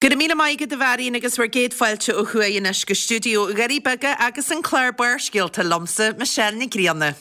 Go raibh míle maith agat a Mharion agus bhur gcéad fáilte ó thuaidh anois go stiúideo Dhoirí Beaga agus an clár Barrscéalta liomsa, Michelle Nic Grianna.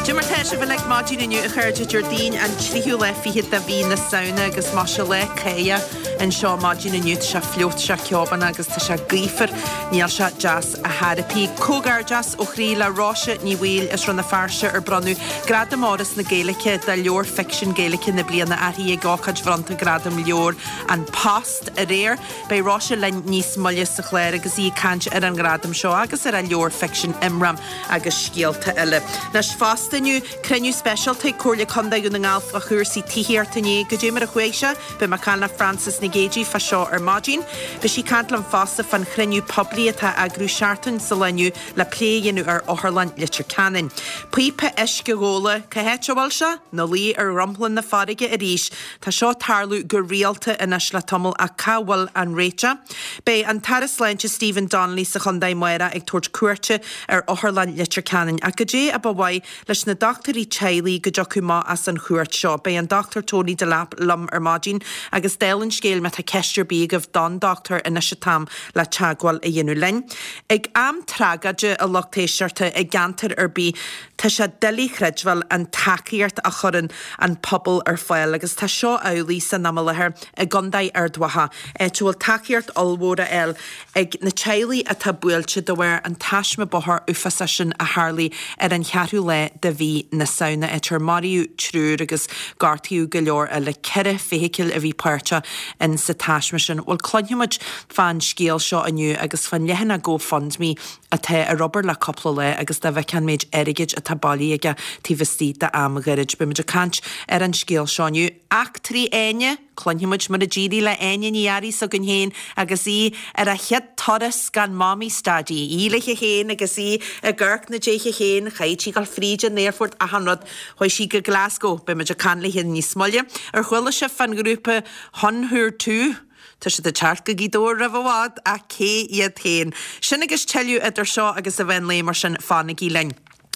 Cad é mar tá sibh uilig maidin inniu a chairde Déardaoin an tríú lá fichead de mhí na Samhna agus maise lá cáidheach anseo maidin inniu tá sé fliuch tá sé ceobánach agus tá sé gaofar níl sé deas ar chor ar bith. Comhghairdeas ó chroí le Róise Ní Bhaoill as Rann na Feirste ar bronnadh Gradam Fhoras na Gaeilge do Leabhar Ficsin Gaeilge na Bliana uirthi ag ócáid bhronnta Gradam Leabhar An Post aréir. Beidh Róise linn níos moille sa chlár agus í ag caint ar an ngradam seo agus ar a leabhar ficsin Imram agus Scéalta Eile. Anois fosta inniu, cruinniú speisialta ag Comhairle Contae Dhún na nGall fá chúrsaí tithíochta inné. Goidé mar a chuaigh sé? Beidh mé ag caint le Frances Nic Géadaigh fá seo ar maidin. Beidh sí ag caint liom fosta fán chruinniú poiblí atá á eagrú seachtain sa lá inniu le plé a dhéanamh ar Otharlann Leitir Ceanainn. Píopa uisce ghabhála, cá háit a bhfuil sé? 'Na luí ar dhromchla na farraige arís. Tá seo ag tarlú go rialta anois le tamall ach cá bhfuil an réiteach? Beidh an tAire Sláinte Stephen Donnelly sa chontae amárach ag tabhairt cuairte ar Otharlann Leitir Ceanainn ach goidé a ba mhaith leis na dochtúirí teaghlaigh go dtiocfadh amach as an chuairt seo? Beidh an Dr Tony Delap liom ar maidin agus dála an scéil má tá ceist ar bith agaibh don dochtúir anois an t-am le teagmháil a dhéanamh linn. Ag am tragóide a lucht éisteachta i gceantar ar bith Tá sé doiligh a chreidbheáil an tacaíocht a chuireann an pobal ar fáil agus tá seo amhlaidh san am i láthair i gContae Ard Mhacha, áit a bhfuil tacaíocht ollmhór á fháil ag na teaghlaigh atá buailte de bharr an taisme bóthair uafásach sin a tharlaigh ar an cheathrú lá de mhí na Samhna, áit ar maraíodh triúr agus gortaíodh go leor eile. 4 feithicil a bhí páirteach in sa taisme sin. Bhuel, cluinfidh muid fán scéal seo inniu agus fán leathanach GoFundMe atá ar obair le cúpla lá agus dá bhfeicfeá an méid airgid atá bailithe aige taobh istigh d'am ghairid. Beidh muid ag caint ar an scéal seo inniu. Eachtraí Áine! Cluinfidh muid mar a d'éirigh le Áine Ní Fhearraigh s'againn féin agus í ar a chéad turas gan Mamaí 's Daidí. Í léithe féin agus í ag amharc na déithe féin, chaithfidh sí dul fríd an aerfort, achan rud. Chuaigh sí go Glasgow. Beidh muid ag caint léithe níos moille. Ar chuala sibh fán ghrúpa Huun-Huur-Tu? Tá siad ag teacht go Gaoth Dobhair roimh i bhfad, ach cé iad féin? Sin agus tuilleadh idir seo agus an mheán lae, mar sin fanaigí linn.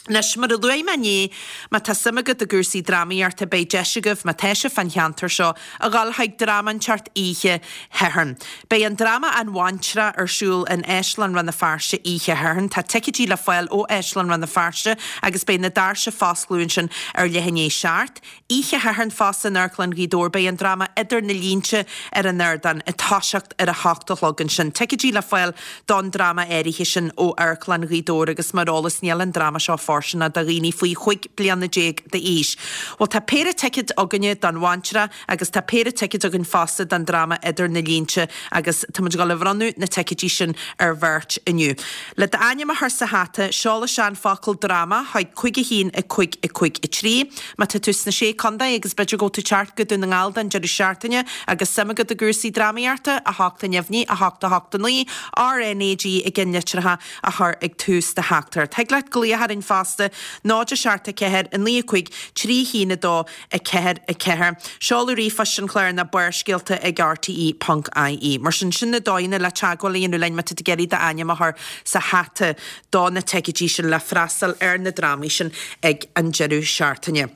Anois, mar a luaigh mé inné, má tá suim agat i gcúrsaí drámaíochta, beidh deis agaibh, má tá sibh fán cheantar seo, a dhul chuig dráma inteacht oíche Shathairn. Beidh an dráma An Bhaintreach ar siúl in Áislann Rann na Feirste oíche Shathairn. Tá ticéidí le fáil ó Áislann Rann na Feirste agus beidh na doirse fá oscladh ansin ar leath i ndiaidh 7. Oíche Shathairn fosta in Amharclann Ghaoth Dobhair beidh an dráma Idir na Línte ar an ardán ag toiseacht ar a hocht a chlog ansin. Ticéidí le fáil don dráma áirithe sin ó Amharclann Ghaoth Dobhair agus mar eolas níl an dráma seo fóirsteanach do dhaoine faoi chúig bliana déag d'aois. Bhuel tá péire ticéad againne don Bhaintreach agus tá péire ticéad againn fosta don dráma Idir na Línte agus tá muid ag dul a bhronnadh na ticéidí sin ar bheirt inniu. Le d'ainm a chur sa hata, seol isteach an focal 'dráma' chuig 5 1 5 5 3. Má tá tú sna Sé Contae agus b'fhéidir go bhfuil tú ag teacht go Dún na nGall don deireadh seachtaine agus suim agat i gcúrsaí drámaíochta, 8 a neamhní, 8 8 9, RNAG i gceannlitreacha a chur ag tús do theachtaireacht. Thig leat glaoch orainn fosta, 0 7 4 9 5 3 1 2 4 4. Seoladh ríomhphoist an chláir ná barrscéalta ag rte ponc ie. Mar sin, sin na dóigheanna le teagmháil a dhéanamh linn má tá tú ag iarraidh d'ainm a chur sa hata do na ticéidí sin le freastal ar na drámaí sin ag an deireadh seachtaine.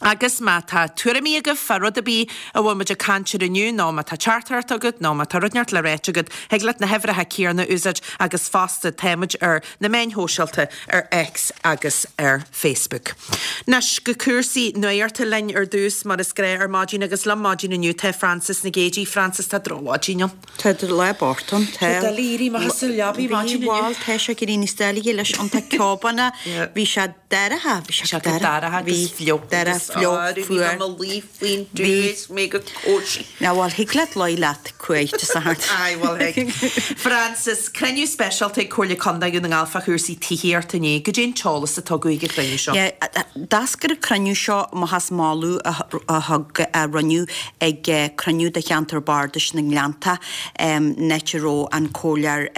Agus má tá tuairimí agaibh fá rud ar bith a bhfuil muid ag caint air inniu, nó má tá teachtaireacht agat, nó má tá rud inteacht le ráit agat, thig leat na huimhreacha céanna a úsáid agus fosta tá muid ar na meáin shóisialta ar X agus ar Facebook. Anois go cúrsaí nuachta linn ar dtús, mar is gnáth ar maidin, agus liom maidin inniu tá Frances Nic Géadaigh. Frances, tá drochmhaidin ann. Tá lá bocht ann. Tá doiligh éirí amach as an leabaidh maidin inniu. Bhí, tá sé ag éirí níos doilighe leis an tá ceobánna, bhí sé dorcha, bhí sé dorcha agus fliuch agus. fliuch, fuar. Bhí mé i mo luí faoin tuath is mé go cosy. Ná bhuel, thig leat luí leat cumhaidh Dé Sathairn. Aye, bhuel thig. Frances, cruinniú speisialta ag Comhairle Contae Dhún na nGall fá chúrsaí tithíochta inné. Goidé an t-eolas a tugadh ag an chruinniú seo? Yeah, d'eascair an cruinniú seo amach as moladh a thug, a rinneadh ag cruinniú de cheantar bardais na nGleannta, an áit a raibh an Comhairleoir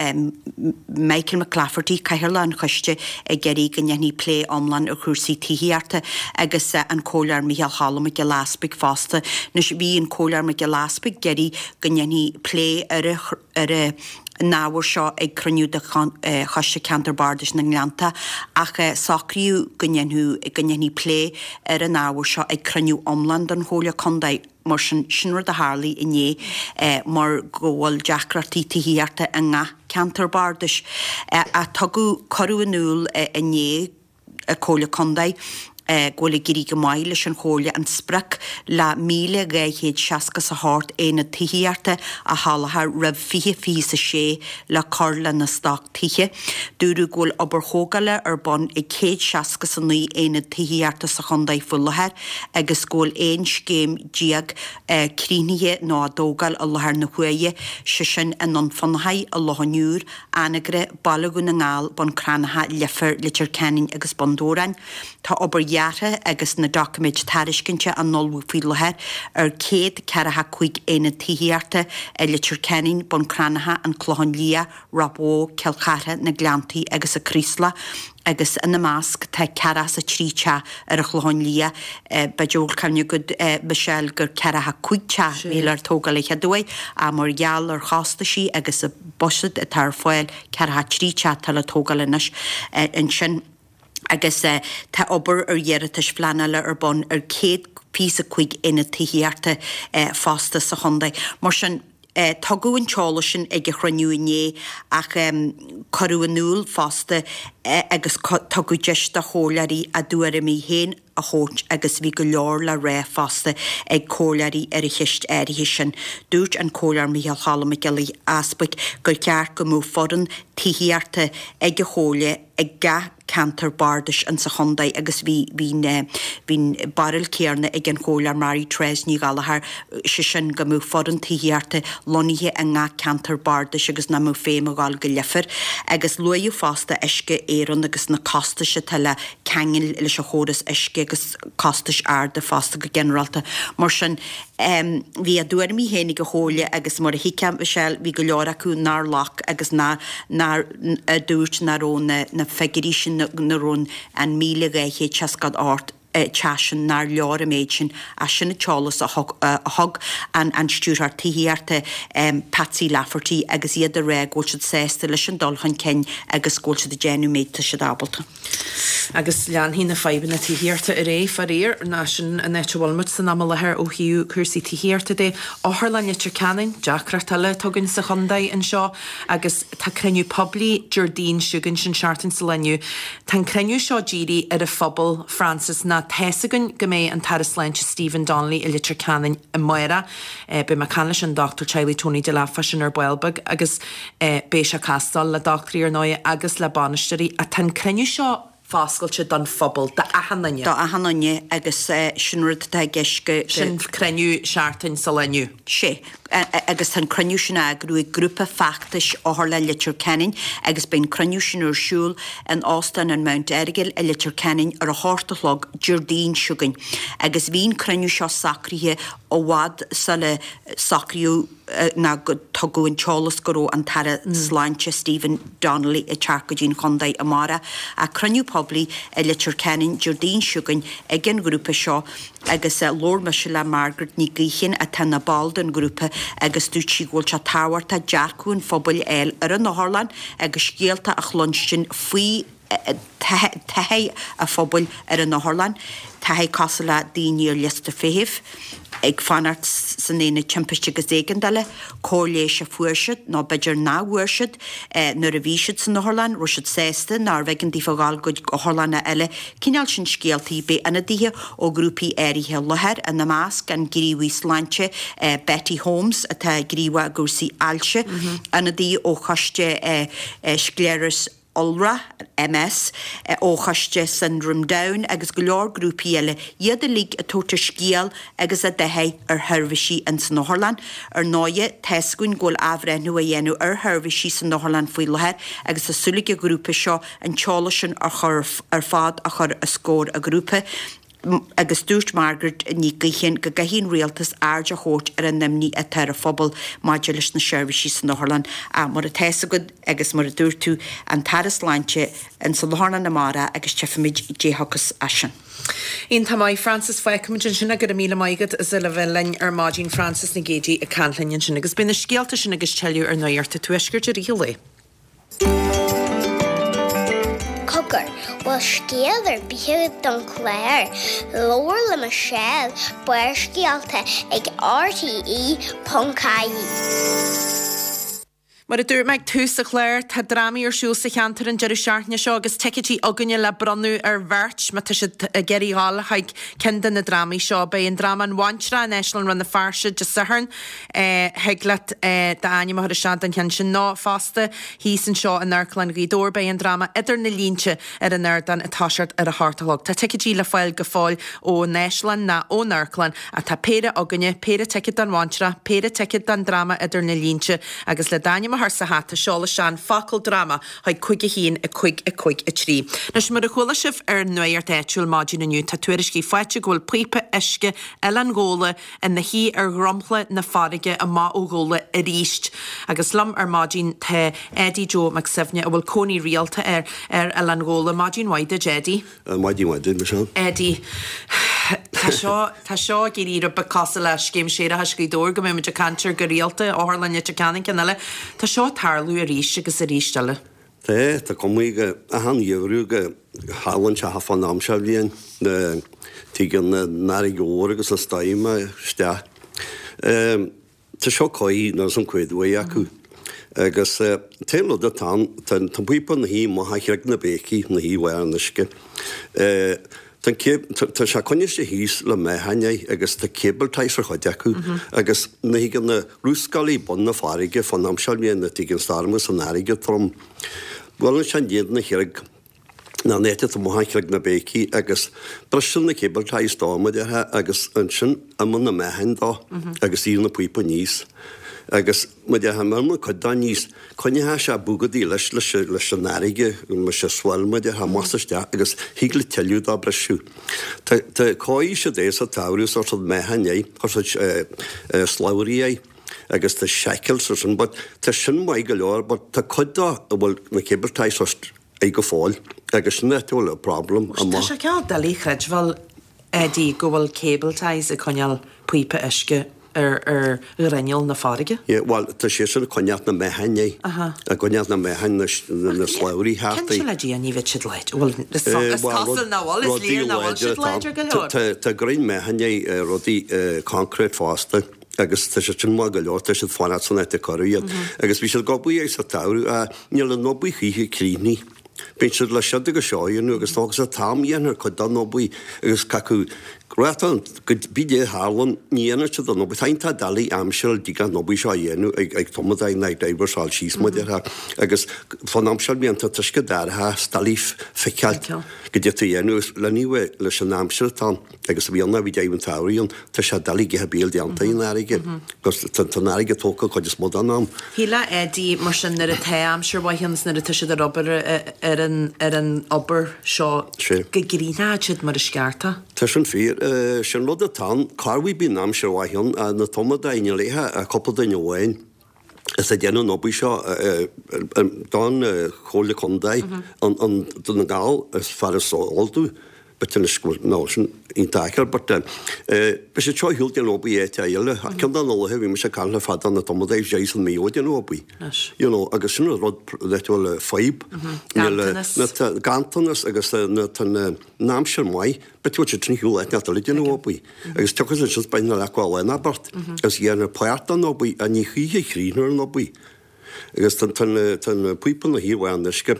Michael McClafferty, Cathaoirleach an Choiste, ag iarraidh go ndéanfaí plé iomlán ar chúrsaí tithíochta agus an Comhairleoir Micheál Cholm Mac Giolla Easpaig fosta. Anois bhí an Comhairleoir Mac Giolla Easpaig ag iarraidh go ndéanfaí plé ar ar an ábhar seo ag cruinniú de Choiste Ceantar Bardais na nGleannta ach socraíodh go ndéanfadh go ndéanfaí plé ar an ábhar seo ag cruinniú iomlán den Chomhairle Contae. Mar sin, sin rud a tharlaigh inné mar go bhfuil deacrachtaí tithíochta i ngach ceantar bardais. Ach tugadh, cuireadh in iúl inné ag Comhairle Contae go bhfuil ag éirí go maith leis an Chomhairle an sprioc le 1,268 aonad tithíochta a sholáthar roimh 2026 le cur lena stoc tithe. Dúradh go bhfuil obair thógála ar bun ag 169 aonad tithíochta sa chontae faoi láthair agus go bhfuil 11 scéim críochnaithe nó á dtógáil i láthair na huaire, sé sin i nDún Fionnachaidh, i Loch an Iúir, Anagaire, Baile Dhún na nGall, Bun Cranncha, Leifear, Leitir Ceanainn agus Bun Dobhráin. Tá obair dheartha agus na doiciméid tairiscinte á n-ullmhú faoi láthair ar 145 aonad tithíochta i Leitir Ceanainn, Bun Cranncha, An Clochán Liath, Ráth Bhoth, Cill Chartha, Na Gleanntaí agus an Chraoslach agus ina measc tá 43 teach ar an Chlochán Liath. B'fhéidir go bhfuil cuimhne agat, Michelle, gur 45 teach a bhí le tógáil an chéad uair ach mar gheall ar chostaisí agus an buiséad atá ar fáil, 43 teach atá le tógáil anois ansin. Agus tá obair ar iarratais phleanála ar bun ar 125 aonad tithíochta fosta sa chontae. Mar sin, tugadh an t-eolas sin ag an chruinniú inné ach cuireadh in iúl fosta agus tugadh deis do chomhairleoirí a dtuairimí féin a thabhairt agus bhí go leor le rá fosta ag comhairleoirí ar an cheist áirithe sin. Dúirt an Comhairleoir Micheál Cholm Mac Giolla Easpaig gur cheart go mbeadh foireann tithíochta ag an Chomhairle ag gach ceantar bardais insa chontae agus bhí bhí bhí an barúil céarna ag an Chomhairleoir Mary Therese Ní Ghallchóir, sé sin go mbeadh foireann tithíochta lonnaithe i ngach ceantar bardais agus nach mbeadh feidhm a ghabháil go Leifear. Agus luaíodh fosta Uisce Éireann agus na costais atá le ceangal leis an chóras uisce agus costais arda fosta go ginearálta. Mar sin, bhí a dtuairimí féin ag an Chomhairle agus mar a thuigfeá, Michelle, bhí go leor acu nár ghlac agus nár, nár, a dúirt nach raibh na, na figiúirí sin, nach raibh an 1,268 teach sin, nár leor an méid sin ach sin an t-eolas a thug, a thug an, an Stiúrthóir Tithíochta, Patsy Lafferty agus iad ag rá go bhfuil siad sásta leis an dul chun cinn agus go bhfuil siad ag déanamh an méid atá siad ábalta. Agus leanfaidh na fadhbanna tithíochta ar aghaidh, faraor, ná sin an áit a bhfuil muid san am i láthair ó thaobh cúrsaí tithíochta de. Otharlann Leitir Ceanainn, deacracht eile atá againn sa chontae anseo agus tá cruinniú poiblí Déardaoin seo chugainn, sin seachtain sa lá inniu. Tá an cruinniú seo dírithe ar an phobal, Frances, ná tá's againn go mbeidh an tAire Sláinte Stephen Donnelly i Leitir Ceanainn amárach. Beidh mé ag caint leis an dochtúir teaghlaigh Tony Delap fá sin ar ball beag agus beidh sé ag castáil le dochtúirí ar ndóigh agus le bainisteoirí ach tá an cruinniú seo foscailte don phobal, d'achan duine. Do achan duine agus sin rud atá i gceist go. Sin cruinniú seachtain sa lá inniu. Sea. Agus tá an cruinniú sin á eagrú ag grúpa feachtais Otharlann Leitir Ceanainn agus beidh an cruinniú sin ar siúl in Óstán an Mount Errigal i Leitir Ceanainn ar a hocht a chlog Déardaoin seo chugainn. Agus bhí an cruinniú seo socraithe i bhfad sula socraíodh ná go tugadh an t-eolas go raibh an tAire Sláinte Stephen Donnelly ag teacht go dtí an chontae amárach. Ach cruinniú poiblí i Leitir Ceanainn Déardaoin seo chugainn ag an ghrúpa seo agus labhair mise le Margaret Ní Gaoithín atá ina ball den ghrúpa agus dúirt sí go bhfuil sé tábhachtach dearcadh an phobail a fháil ar an otharlann agus scéalta a chluinstin faoi taithí an phobail ar an otharlann, taithí cosúil le daoine ar liosta feithimh, ag fanacht san aonad timpiste agus éigeandála, cóir leighis a fuair siad nó b'fhéidir nach bhfuair siad nuair a bhí siad san otharlann, raibh siad sásta nárbh éigean daofa a dhul go otharlanna eile, cineál sin scéaltaí. Beidh ionadaithe ó ghrúpaí áirithe i láthair, ina measc an gníomhaí sláinte Betty Holmes atá gníomhach i gcúrsaí ailse, ionadaí ó choiste Scléarais. Iolra, MS, ó Choiste Syndrome Down agus go leor grúpaí eile, iad uilig ag tabhairt a scéal agus a dtaithí ar sheirbhísí ins an otharlann. Ar ndóighe, tá's againn go bhfuil athbhreithniú á dhéanamh ar sheirbhísí san otharlann faoi láthair agus tá súil ag an ghrúpa seo an t-eolas sin a chur ar fad a chur os comhair an ghrúpa. Agus dúirt Margaret Ní Gaoithín go gcaithfidh an rialtas aird a thabhairt ar an imní atá ar an phobal maidir leis na seirbhísí san otharlann. Ach mar atá fhios agat agus mar a dúirt tú, an tAire Sláinte ins an otharlann amárach agus tchífimid caidé a thiocfas as sin. Iontach maith, Frances. Fágfaimid ansin é. Go raibh míle maith agat as a bheith linn ar maidin, Frances Nic Géadaigh ag caint linn ansin. Agus beidh na scéalta sin agus tuilleadh ar Nuacht an Tuaiscirt i rith an lae. Cogar, bhfuil scéal ar bith agat don chlár? Labhair le Michelle, Barrscéalta ag RTE.ie. Mar a dúirt mé ag tús an chláir, tá drámaí ar siúl sa cheantar an deireadh seachtaine seo agus ticéidí againne le bronnadh ar bheirt má tá siad ag iarraidh dhul chuig ceann de na drámaí seo. Beidh an dráma An Bhaintreach in Áislann Rann na Feirste Dé Sathairn. Thig leat d'ainm a chur isteach don cheann sin nó fosta thíos anseo in Amharclann Ghaoth Dobhair beidh an dráma Idir na Línte ar an ardán ag toiseacht ar a hocht a chlog. Tá ticéidí le fáil go fóill ón Áislann ná ón Amharclann ach tá péire againne, péire ticéad don Bhaintreach, péire ticéad don dráma Idir na Línte agus le d'ainm a chur sa hata seol isteach an focal dráma chuig 5 1 5 5 3. Anois mar a chuala sibh ar an Nuacht Áitiúil maidin inniu tá tuairiscí faighte go bhfuil píopa uisce Oileán Ghabhla ina shuí ar dhromchla na farraige amach ó Ghabhla arís. Agus liom ar maidin tá Eddie Joe Mac Suibhne a bhfuil cónaí rialta air ar Oileán Ghabhla. Maidin mhaith duit Eddie. Maidin mhaith duit Michelle. Eddie, tá seo, tá seo ag éirí rud beag cosúil le Scéim Séarachais Ghaoth Dobhair go mbeidh muid ag caint air go rialta, Otharlann Leitir Ceanainn, ceann eile. Tá seo ag tarlú arís agus arís eile. Tá, tá cuma go achan gheimhreadh go tharlaíonn sé fán am seo bhliain, tigeann an fharraige mhór agus an stoirm isteach. Tá seo cóir nó san cuid mhaith acu. Agus t-aon rud atá ann, tá an píopa ina shuí amach ó Chreag na Béicí, ina shuí bharr an uisce. Tá an cab, tá sé coinnithe thíos le meáchain é agus tá cable ties ar chuid acu agus nuair a thigeann na luascálaí bun na farraige fán am seo bhliain nuair a thigeann stoirm agus an fharraige trom. Buaileann sé in diaidh na chreag ná an áit atá amuigh ó Chreag na Béicí agus briseann na cable ties dó mar a déarfá agus ansin imíonn na meáchain dó agus éiríonn an píopa aníos agus mar a déarfá má imíonn cuid dó aníos Coinneoidh sé bogadaí leis leis an fharraige, mar sé swell mar a déarfá, amach is isteach agus thig le tuilleadh dó briseadh. Tá tá chóirigh siad é sa tsamhradh chuir siad meáchan air, chuir siad slabhraí air agus tá shackles ar sin but tá sin maith go leor but tá cuid dó a bhfuil na cable ties air go fóill agus sin áit a bhfuil an problem Tá amach. sé cineál doiligh a chreidbheáil Eddie go bhfuil cable ties ag coinneáil píopa uisce ar ar ghrinneall na farraige. Yeah, bhuel, tá sé sin ag coinneáilt na meáchain é. Aha. Ag coinneáilt na meáchain, na na slabhraí thart é. Cinnte le Dia, ní bheidh siad láidir. Bhuel, is is cosúil nach bhfuil, is léir nach bhfuil siad láidir go leor. Tá tá greim meáchain é, rudaí concrete fosta agus tá siad sin maith go leor, tá siad fanacht san áit a cuireadh iad. Agus bhí siad ag obair air sa tsamhradh, níl an obair choíche críochnaithe. Bíonn siad le siod agus seo a dhéanamh agus tógann sé t-am a dhéanamh ar cuid den obair agus cacu ráta go bídh a tharlann ní dhéanann siad an obair. Tá iontach doiligh aimsir dtig an obair seo a dhéanamh ag ag tumadóirí ná ag divers fáil síos mar a déarfá agus fán am seo bíonn tá an t-uisce dorcha is doiligh feiceáil goidé atá a dhéanamh agus lena bheith leis an aimsir atá ann. Agus a bhí ann, bhí deimhin tsamhraidh ann, tá sé doiligh a bheith béal déanta an fharraige, agus tá an fharraige tógtha cuid is mó den am. Shílfeá Eddie, mar sin, nuair atá aimsir mhaith ann is nuair atá siad ar obair ar an ar an obair seo go gcríochnódh siad mar is ceart é. Tá sin fíor. Sin rud atá ann, corruair bíonn aimsir mhaith ann, na tumadóirí níl ach cúpla duine amháin. is ag déanamh an obair seo don Chomhairle Contae an Dún na nGall is fearr is eol domh but anois go bhfuil nó sin iontach aiceáil but beidh siad seo ar shiúl déanamh obair áit eile. Ceann de na laetha bhí mise ag caint le fear de na tumadóirí bhí sé san Maigh Eo ag déanamh obair. You know agus sin an rud le bhfuil fadhb. Ganntanas. Ganntanas agus na tá na aimsir maith but bhfuil siad sin ar shiúl áit eile ag déanamh obair. Agus tiocfaidh siad beidh na leac lá ná beirt agus dhéanfar páirt den obair ach ní choíche chríochnófar an obair. Agus tá an píopa ina shuí ar bharr an uisce.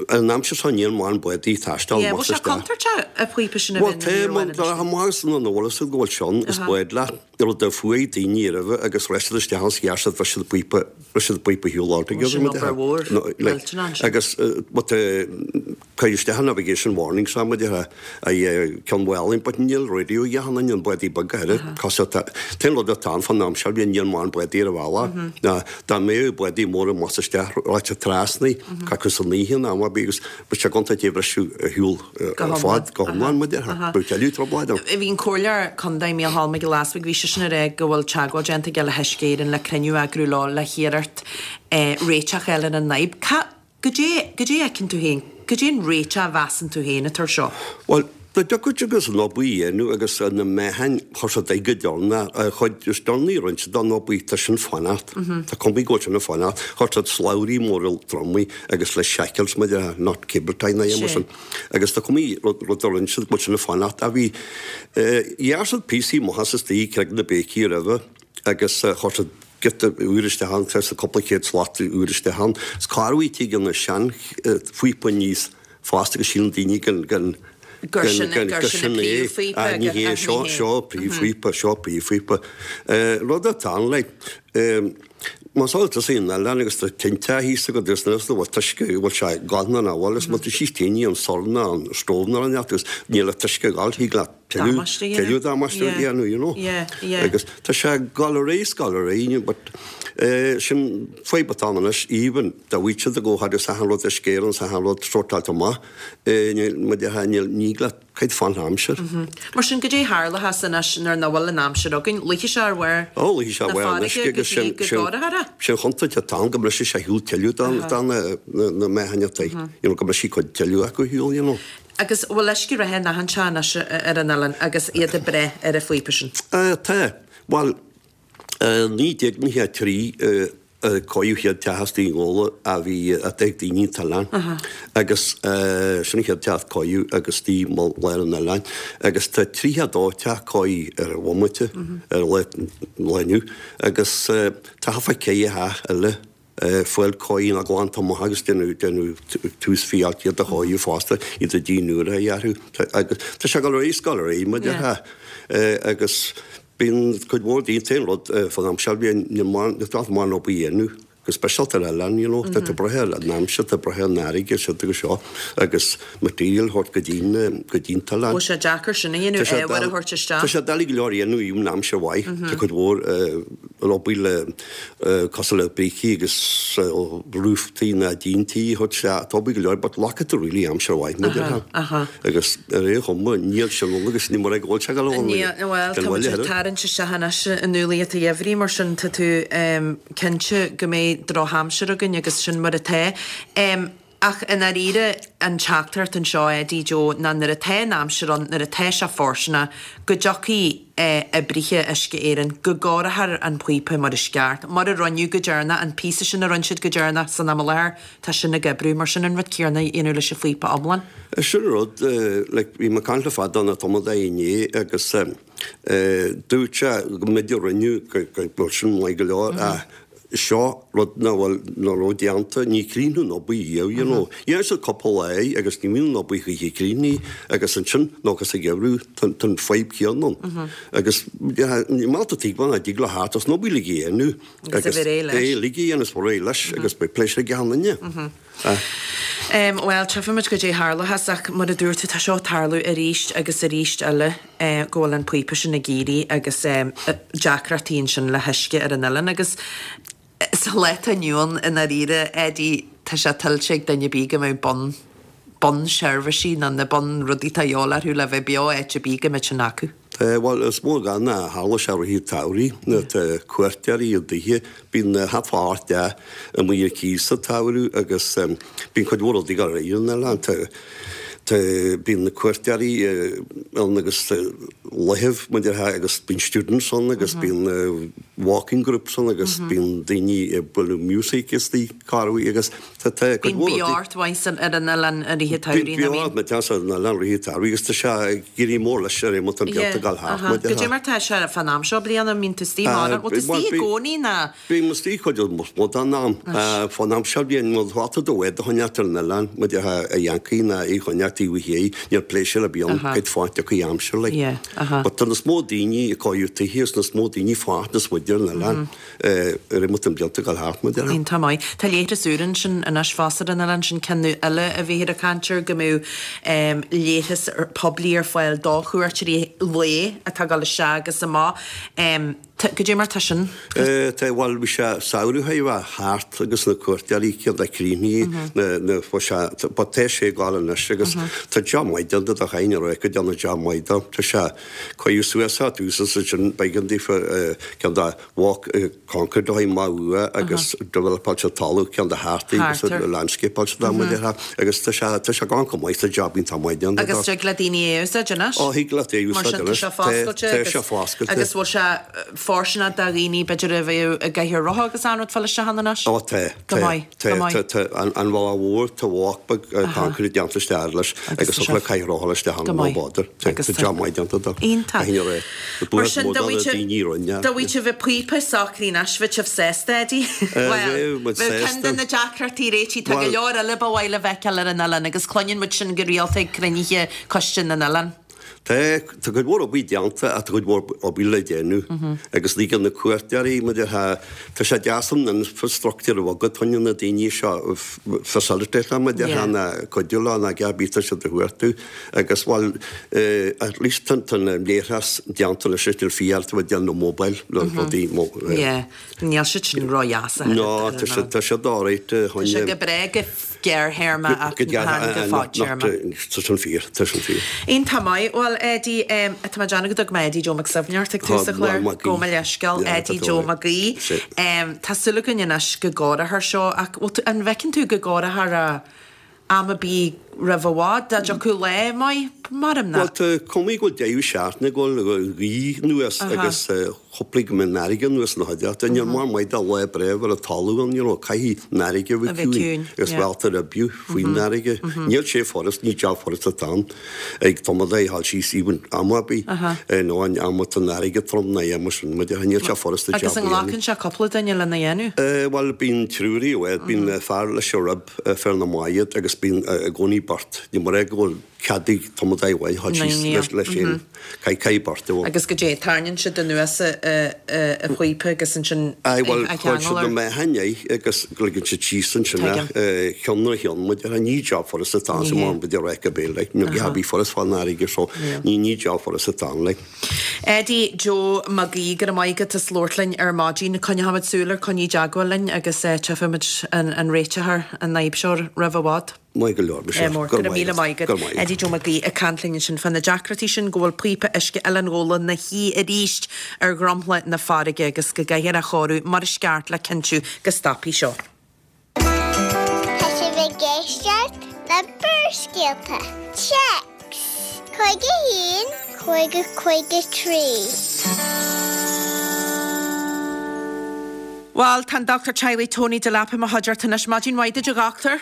An aimsir seo níl mórán bádaí ag taisteal Yeah, amach bhfuil is sé isteach. contúirteach an píopa sin a Bhuel bheith tá, ina mar bhfuil tá amach is an eolas go bhfuil sé ann, is bád leat, rud a fuaigh daoine roimhe agus rith siad isteach ann 's ghearr siad, bhris siad an píopa, bhris siad an píopa ar shiúl altogether, Sin mar obair mhór, No, like, millteanach ansin. agus but cuir isteach an navigation warning seo mar a déarfá, ag Ceann Mhálainn, but níl radio ag achan duine, an bádaí beag go háirithe, cos tá, t-aon rud atá ann fán am seo, bhí níl mórán bádaí ar an bhealach, ná dá mbeadh bádaí móra amach is isteach, rachadh siad trasna, acu san oíche in am ar bith agus bheadh sé gonta dé bhriseadh ar shiúl ar fad go hiomlán, mar a déarfá, bheadh tuilleadh trioblóid ann. Bhí an Comhairleoir Contae Mícheál Mac Giolla Easbuig, bhí seisean ag rá go bhfuil teagmháil déanta aige le hUisce Éireann le cruinniú a eagrú leo le hiarracht réiteach a fháil ar an fhadhb. Ca. Goidé, goidé a fheiceann tú féin, goidé an réiteach a mheasann tú féin atá ar seo? Bhuel, dá dtiocfadh agus an obair a dhéanamh agus na meáchain, chuir siad aghaidh go deireanach, an chuid is deireanaí a rinne siad den obair, tá sin fanacht, tá cuma go bhfuil sin ag fanacht, chuir siad slabhraí móra tromaí agus le shackles, mar a déarfá, not cable tie ná aon mar sin, agus tá cuma rud a rinne siad go bhfuil sin ag fanacht. Ach bhí, ghearr siad píosaí amach as istigh Creag na Béicí roimhe agus chuir siad, giota úr isteach ann, tá cúpla céad slat úr isteach ann. Is corruair tig an sean phíopa aníos fosta agus síleann daoine gur gur Gur sin gur sin an é. príomhphíopa Ah, ní hé, seo seo príomhphíopa, seo príomhphíopa. Rud atá ann like, más áil tusa an oileán agus tá tinte thíos agat agus níl an t-uisce bhfuil sé gann an bhfuil is má tá síos tine an sorn an stove ná an agus níl an t-uisce ag gabháil thig leat Damáiste a dhéanamh. Tuilleadh damáiste a dhéanamh, you know. Yeah, yeah. Agus tá sé ag gabháil ar aghaidh is gabháil ar aghaidh, but sin fadhb atá ann anois, even dá bhfaigheadh siad go fhad is achan rud Uisce Éireann is achan rud sórtáilte amach, níl, mar a déarfá, níl, ní leat cuid fán aimsir. Mar sin, goidé tharlóchas anois nuair nach bhfuil an aimsir againn? Luífidh sé ar bharr Ó, luífidh sé ar na bharr an uisce farraige go agus dtí sin, go sin, gcóireofar é? sin chontúirt atá ann go mbrisfidh sé ar shiúl tuilleadh de na, na meáchain atá, you know, go mbrisfidh cuid tuilleadh acu ar shiúl, you know. Agus bhfuil uisce reatha in achan teach anois ar an oileán agus iad ag brath ar an phíopa sin? Tá. Bhuel, 1993 a cóiríodh an chéad teach istigh i nGabhla a bhí ag daoine an t-oileán agus sin an chéad teach a cóiríodh agus istigh i lár an oileáin agus tá 32 teach cóirithe ar an bhomaite ar an lá inniu agus tá thart fá 4 theach eile fáil cóirithe nó glanta amach agus déanamh déanamh tús fiáilt iad a chóiriú fosta, iad a díon úr a dhearú agus tá sé ag dul ar aghaidh is ag dul ar aghaidh mar a déarfá agus bíonn cuid mhór daoine t-aon rud fán am seo bíonn níl mórán níl mórán obair a dhéanamh go speisialta ar oileán you know tá tú ag brath ar an aimsir tá tú ag brath ar an fharraige is siúd agus seo agus material a thabhairt go dtí go dtí an t-oileán. Bhfuil sé deacair sin a dhéanamh, ábhar a thabhairt isteach? Tá sé doiligh go leor a dhéanamh even aimsir mhaith tá cuid mhór obair le cosúil le brící agus roof tí ná díon tí a thabhairt isteach, tá obair go leor but glacann tú really aimsir mhaith mar a déarfá agus ar aon chuma níl sin ann agus ní mar ag bhfuil sé go leor Níl, bhuel tá muid ag tarraingt isteach anois i ndúlaí an gheimhridh mar sin tá tú cinnte go mbeidh drochaimsir againn agus sin mar atá. Ach i ndáiríre, an teachtaireacht anseo, Eddie Joe, ná nuair atá an aimsir ann, nuair atá sé fóirsteanach, go dtiocfaidh oibrithe Uisce Éireann, go gcóireofar an píopa mar is ceart, mar a rinneadh go deireanach, an píosa sin a rinne siad go deireanach san am i láthair, tá sin ag oibriú. Mar sin an rud céanna a dhéanamh leis an phíopa iomlán. Sin an rud, like, bhí mé ag caint le fear de na tumadóirí inné agus dúirt sé go mb'fhéidir rinneadh go bhfuil sin maith go leor ach seo rud nach bhfuil, nach raibh déanta, ní críochnú an obair riamh, you know. Dhéan siad cúpla lá é agus ní bhíonn an obair choíche críochnaithe agus ansin nó agus sa gheimhreadh tá an fadhb chéanna ann. Agus ní maith tú tuigbheáil nach dtig le thart as an obair uilig a dhéanamh Agus a bheith réidh leis. É uilig a dhéanamh is bheith réidh leis agus beidh pléisiúr ag achan duine. Bhuel, tchífimid goidé tharlóchas ach mar a dúirt tú, tá seo ag tarlú arís agus arís eile go bhfuil an píopa sin ag éirí agus deacrachtaí ansin le huisce ar an oileán agus sa lá atá inniu ann i ndáiríre, Eddie, tá sé tuillte ag duine ar bith go mbeadh bun, bunseirbhísí nó na bunrudaí atá a dhíobháil orthu le bheith beo áit ar bith go mbeadh sin acu. Bhuel, is mór gan a tharla sé i rith an tsamhraidh nuair atá cuairteoirí i dtithe, bíonn thart fá 8 dteach amuigh ar cíos sa tsamhradh agus bíonn cuid mhór rudaí ag dul ar aghaidh ar an oileán. Tá, tá, bíonn na cuairteoirí ann agus laethibh, mar a déarfá, agus bíonn students ann agus bíonn. walking groups ann agus bíonn daoine ag bualadh music istigh corruair agus tá tá cuid Bíonn mhór rudaí. beocht mhaith san ar an oileán i rith an tsamhraidh, Bíonn nach mbíonn? beocht mhaith san oileán i rith an tsamhraidh agus tá sé ag éirí mór leis ar imeacht an Yeah, blianta ag dul thart, aha. mar Goidé déarfá. mar tá sé fán am seo bliana, an mbíonn tú istigh mórán? Bhfuil tú Bhuel, istigh i bí- gcónaí ná? Bím istigh cuid is mó den am. Fán am seo bhíonn mo dháta do bhád a choinneáilt ar an oileán, muid a Yancaí ná í choinneáilt taobh thiar, níl pléisiúr ar bith ann, cuid fáilte tiocfaidh aimsir like. But tá níos mó daoine ag cóiriú tithe agus níos mó daoine fáilte níos faide ar an oileán ar imeacht an blianta ag dul thart, mar a déarfá. Iontach maith. Tá leithreas úr ansin anois fosta ar an oileán, sin ceann eile a bhíthear ag caint air, go mbeadh leithreas poiblí ar fáil do chuairteoirí lae atá ag dul isteach agus amach. Goidé mar tá sin? Tá, bhuel, bhí sé samhradh a bheith thart agus na cuairteoirí ceann de críochnaithe na, na, bhuel sé, but tá sé ag gabháil anois agus tá job maith déanta de chaithfinn a rá go déanadh job maith dó. Tá sé, cuireadh suas á tús is ansin b'éigean daofa ceann de walk, concrete a thabhairt amach uaidh agus developáil sé talamh ceann de thart agus landscapeáil sé dá mba déarfá agus tá sé, tá sé ag gabháil go maith, tá job iontach maith déanta dó. Agus tig le daoine é a úsáid anois? Ó, thig leat é a Mar úsáid sin tá anois. sé Tá, foscailte tá agus sé foscailte. agus bhfuil sé fóirsteanach do dhaoine b'fhéidir a bheadh i gcathaoir rotha agus an rud fáil isteach ann anois? Ó tá, Go tá, maith, tá, go maith. tá, tá, an, an bhealach mhór, tá walk beag concrete déanta isteach leis Agus agus tá thug le sé cathaoir rotha leis isteach ann go no maith. bother. Tá, Agus tá tá job maith déanta dó. Iontach. Caithfidh a rá. Mar Buíochas sin mór do do na bhí daoine a rinne. do bhí sibh ag píopa socraí anois, bhí sibh sásta, Eddie? Bhuel, bhí muid bheadh ceann de sásta. na deacrachtaí réitithe, tá go Bhuel, leor eile ba mhaith le feiceáil ar an oileán agus cluineann muid sin go rialta ag cruinnithe Coiste na nOileán. Tá, tá cuid mhór obair déanta ach tá cuid mhór obair le déanamh agus ligeann na cuairteoirí, mar a déarfá, tá sé deas an infrastructure a bheith agat, choinne na daoine seo facilitate mar a déarfá ná cuidiú leo ná cibé tá siad a chuartú agus bhuel at least tá an leithreas déanta anois is níl fial tú ag déanamh mobile le rudaí Yeah, níl siad sin ró-dheas a No, tá siad, tá siad alright Tá sé go breá go gearrthéarma ach chan go fadtéarma. Tá sin fíor, tá sin fíor. Iontach maith. Bhuel, Eddie, tá mé ag déanamh go dtug mé Eddie Joe Mac Suibhne ort ag tús an chláir. Gabh mo leithscéal, Eddie Joe Mac Aoidh. Tá súil againn anois go gcóireofar seo ach bhfuil tú, an bhfeiceann tú go gcóireofar é am ar bith roimh i bhfad, dá dtiocfadh lá maith, maram Bhuel, nach. tá cuma go bhfuil deireadh seachtaine ag dul gaoth anuas agus Chúpla go mbeidh an fharraige anuas na chuideachta. Níl mórán maith de lá breá a bheith ar talamh ann, you know, caithfidh an fharraige a bheith ciúin agus réalta ar bith faoin fharraige. Níl sé furast, ní jab furast atá ann ag tumadóir a ghabháil síos even am ar bith, nó an am atá an fharraige trom ná am sin, mar níl sé furast an Agus jab an a dhéanamh. nglacann sé cúpla duine lena dhéanamh? Bhuel, bíonn triúr i bhfad, bíonn fear leis an rib, fear na mbád agus bíonn i gcónaí beirt. Ní mar é go bhfuil cead ag tumadóir amháin a ghabháil síos leis féin. Caithfidh beirt a bheith. Agus goidé, tarraingíonn siad anuas an phíopa agus ansin Aye, bhuel, a cuireann cheangal siad na air. meáchain air agus ligeann siad síos ansin é, ceann ar cheann, mar a déarfá, ní job furast atá ann, mar a déarfá go béal, like, ní hea bhí furast fán fharraige so ní ní job furast atá ann, like. Eddie Joe Mag Aoidh, go raibh maith agat as labhairt linn ar maidin. Coinneochaimid súil air, coinnigh i dteagmháil linn agus tchífimid an réiteofar an fhadhb seo roimh i bhfad. Maith go leor, Michelle. Mór. Go raibh míle maith agat. Go raibh maith agat. Eddie Joe Mac Aoidh ag caint linn ansin fá na deacrachtaí sin go bhfuil píopa uisce Oileán Ghabhla 'na shuí arís ar dhromchla na farraige agus go gcaithfear é a chóiriú mar is ceart le cinntiú go stopfaidh seo. Tá sibh ag éisteacht le Barrscéalta. Téacs 51 50 53. Bhuel, tá an Dochtúir Teaghlaigh Tony Delap i mo chuideachta anois. Maidin mhaith duit a dhochtúir.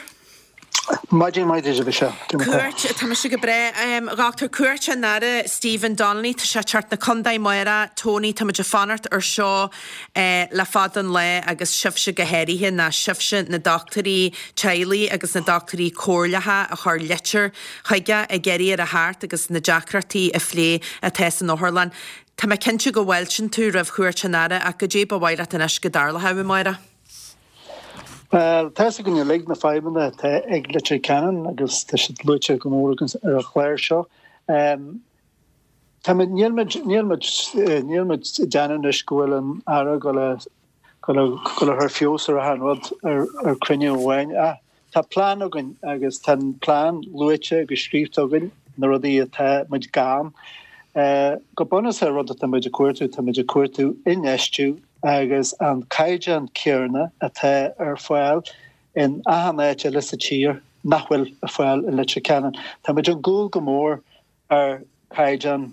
Maidin mhaith duit a Mhichelle. Cuairt, tá mise go breá. A dhochtúir, cuairt an Aire Stephen Donnelly, tá sé ag teacht 'na contae amárach. Tony, tá muid ag fanacht ar seo le fada an lá agus sibhse go háirithe, ná sibhse na dochtúirí teaghlaigh agus na dochtúirí comhairleacha a chuir litir chuige ag iarraidh air a theacht agus na deacrachtaí a phlé atá san otharlann. Tá mé cinnte go bhfáiltíonn tú roimh chuairt an Aire ach goidé ba mhaith leat anois go dtarlódh amárach? Bhuel, tá fhios againn uilig na fadhbanna atá ag Leitir Ceanainn agus tá siad luaite go mór againn ar an chlár seo. Táimid, níl muid, níl muid, níl muid ag déanamh anois go bhfuil an Aire ag dul a, dul a, dul a chur feabhas ar achan rud ar, ar cruinniú amháin ach tá plean againn agus tá an plean luaite agus scríofa againn, na rudaí atá muid gann. Go bunúsach an rud atá muid ag cuartú, tá muid ag cuartú infheistiú agus an caighdeán céanna atá ar fáil in achan áit eile sa tír nach bhfuil ar fáil i Leitir Ceanainn. Tá muid ar gcúl go mór ar chaighdeán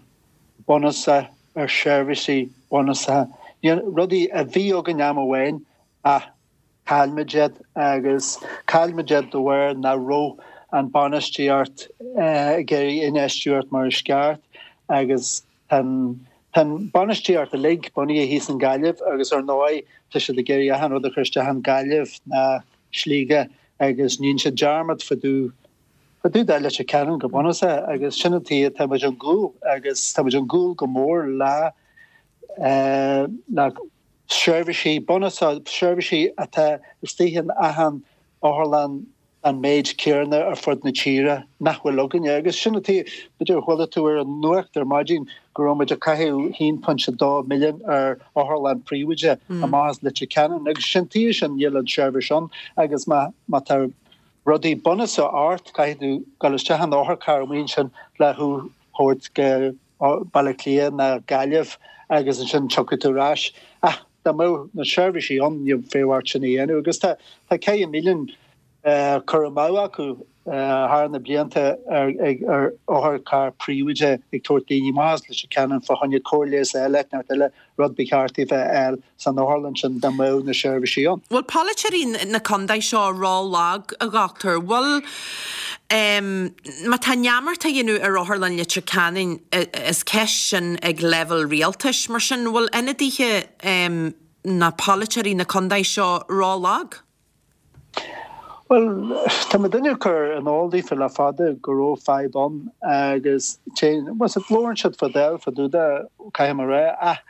bunúsach, ar sheirbhísí bunúsacha. Níl rudaí a bhí againn am amháin ach chaill muid iad agus chaill muid iad de bharr nach raibh an bainistíocht ag iarraidh infheistiú ort mar is ceart agus tá an bainistíocht uilig bunaithe thíos in Gaillimh agus ar ndóigh tá siad ag iarraidh achan rud a chur isteach in Gaillimh ná Sligeach agus níonn siad dearmad fá dtaobh fá dtaobh de Leitir Ceanainn go bunúsach agus sin an tuige tá muid ón gcúl agus tá muid ón gcúl go mór le le seirbhísí bunúsach, seirbhísí atá istigh in achan otharlann an méid céarna ar fud na tíre nach bhfuil againne. Agus sin an tuige, b'fhéidir chuala tú ar an nuacht ar maidin go raibh muid ag caitheamh 1.2 milliún ar otharlann príobháideach amach as Leitir Ceanainn agus sin tuige sin níl an tseirbhís ann agus má má tá rudaí bunúsach ort caithfidh tú dul isteach in otharcharr amuigh ansin le thú thabhairt go Baile Átha Cliath ná Gaillimh agus ansin tiocfaidh tú ar ais. Ach dá mbeadh na seirbhísí ann ní bheadh ort sin a dhéanamh. Agus tá ceithre milliún curtha amú acu thar na blianta ar ar otharcharr príobháideach ag tabhairt daoine amach as Leitir Ceanainn fá choinne cóir leighis a fháil áit inteacht eile, rud ba cheart daofa a fháil san otharlann sin dá mbeadh na seirbhísí ann. Bhfuil polaiteoirí na contae seo ró-lag, a dhochtúir? Bhfuil, má tá neamart á dhéanamh ar Otharlann Leitir Ceanainn, is ceist sin ag leibhéal rialtais. Mar sin, bhfuil ionadaithe ná polaiteoirí na contae seo ró-lag? Bhuel, tá muidinne ag cur in iúl daofa le fada go raibh fadhb ann agus téann, bhuel, labhrann siad fá dtaobh, fá dtaobh de, caithfidh mé a rá, ach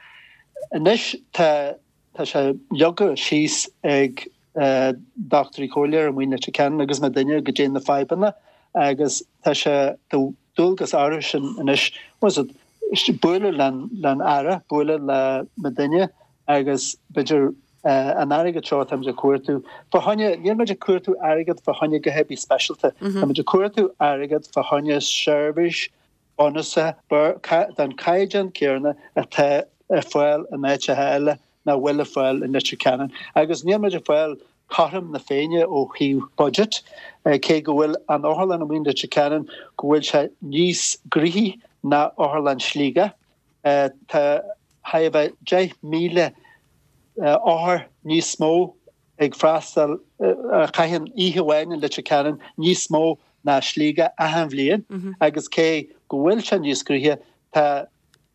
anois tá, tá sé leagtha síos ag dochtúirí comhairleoirí amuigh in Leitir Ceanainn agus muidinne goidé na fadhbanna agus tá sé de dhualgas orthu sin anois, bhuel, bualadh len Aire, bualadh le muidinne agus b'fhéidir an airgead seo atáimid ag cuartú fá choinne, níl muid ag cuartú airgead fá choinne a dhath ar bith speisialta, táimid ag cuartú airgead fá choinne seirbhís bunúsach den chaighdeán céarna atá ar fáil in áiteacha eile nach bhfuil ar fáil in Leitir Ceanainn. Agus níl muid ag fáil cothrom na Féinne ó thaobh budget, cé go bhfuil an otharlann amuigh in Leitir Ceanainn go bhfuil sé níos gnoithí ná otharlann Shligigh. Tá chóir a bheith 10,000 othar níos mó ag freastal, a chaitheann oíche amháin in Leitir Ceanainn, níos mó ná Sligeach achan bhliain agus cé go bhfuil sé níos gnoithí, tá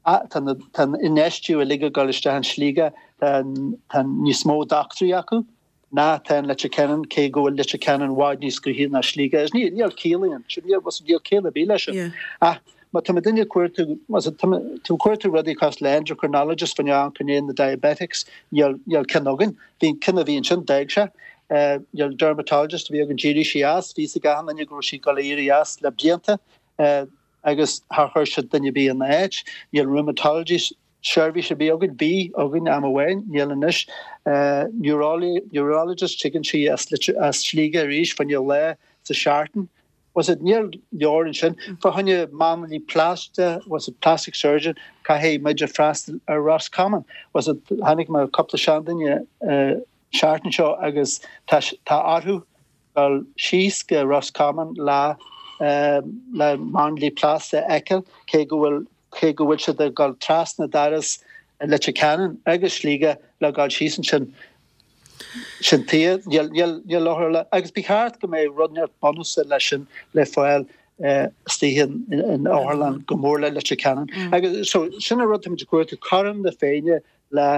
tá an infheistiú uilig ag dul isteach in Sligeach, tá níos mó dochtúirí acu. ná tá in Leitir Ceanainn, cé go bhfuil Leitir Ceanainn i bhfad níos gnoithí ná Sligeach. Is níl ciall ann, níl níl ciall ar bith leis sin. Ach má tá muidinne ag cuartú, má tá tú ag cuartú rudaí cosúil le endocrinologist fá choinne na diabetics, níl níl ceann againn. Bhí an ceann a bhí ansin, d'fhág sé. Níl dermatologist a bhí againn, d'éirigh sí as, bhí fhios ag achan duine go raibh sí ag dul a éirí as le blianta agus char chuir siad duine ar bith ina áit. Níl rheumatologist Seirbhís ar bith againn, bhí againn am amháin, níl anois. Neurologist, tigeann sí as Sligeach arís fá choinne lá sa seachtain. Bhfuil fhios a'd, níl leor ansin. Fá choinne máinlia plaisteach, bhfuil fhios a'd, plastic surgeon, caithfidh muid a freastal ar Roscommon. Bhfuil fhios a'd, chonaic mé cúpla seanduine seachtain seo agus tá orthu dul síos go Roscommon le le máinlia plaisteach a fheiceáil, cé go bhfuil cé go bhfuil siad ag dul trasna doras Leitir Ceanainn agus Sligeach le dul síos ansin. Sin tuige, níl níl níl otharlann agus ba cheart go mbeadh rud inteacht bunúsach leis sin le fáil istigh in in otharlann go mór le Leitir Ceanainn. Agus so sin an rud táimid ag cuartú, cothrom na Féinne le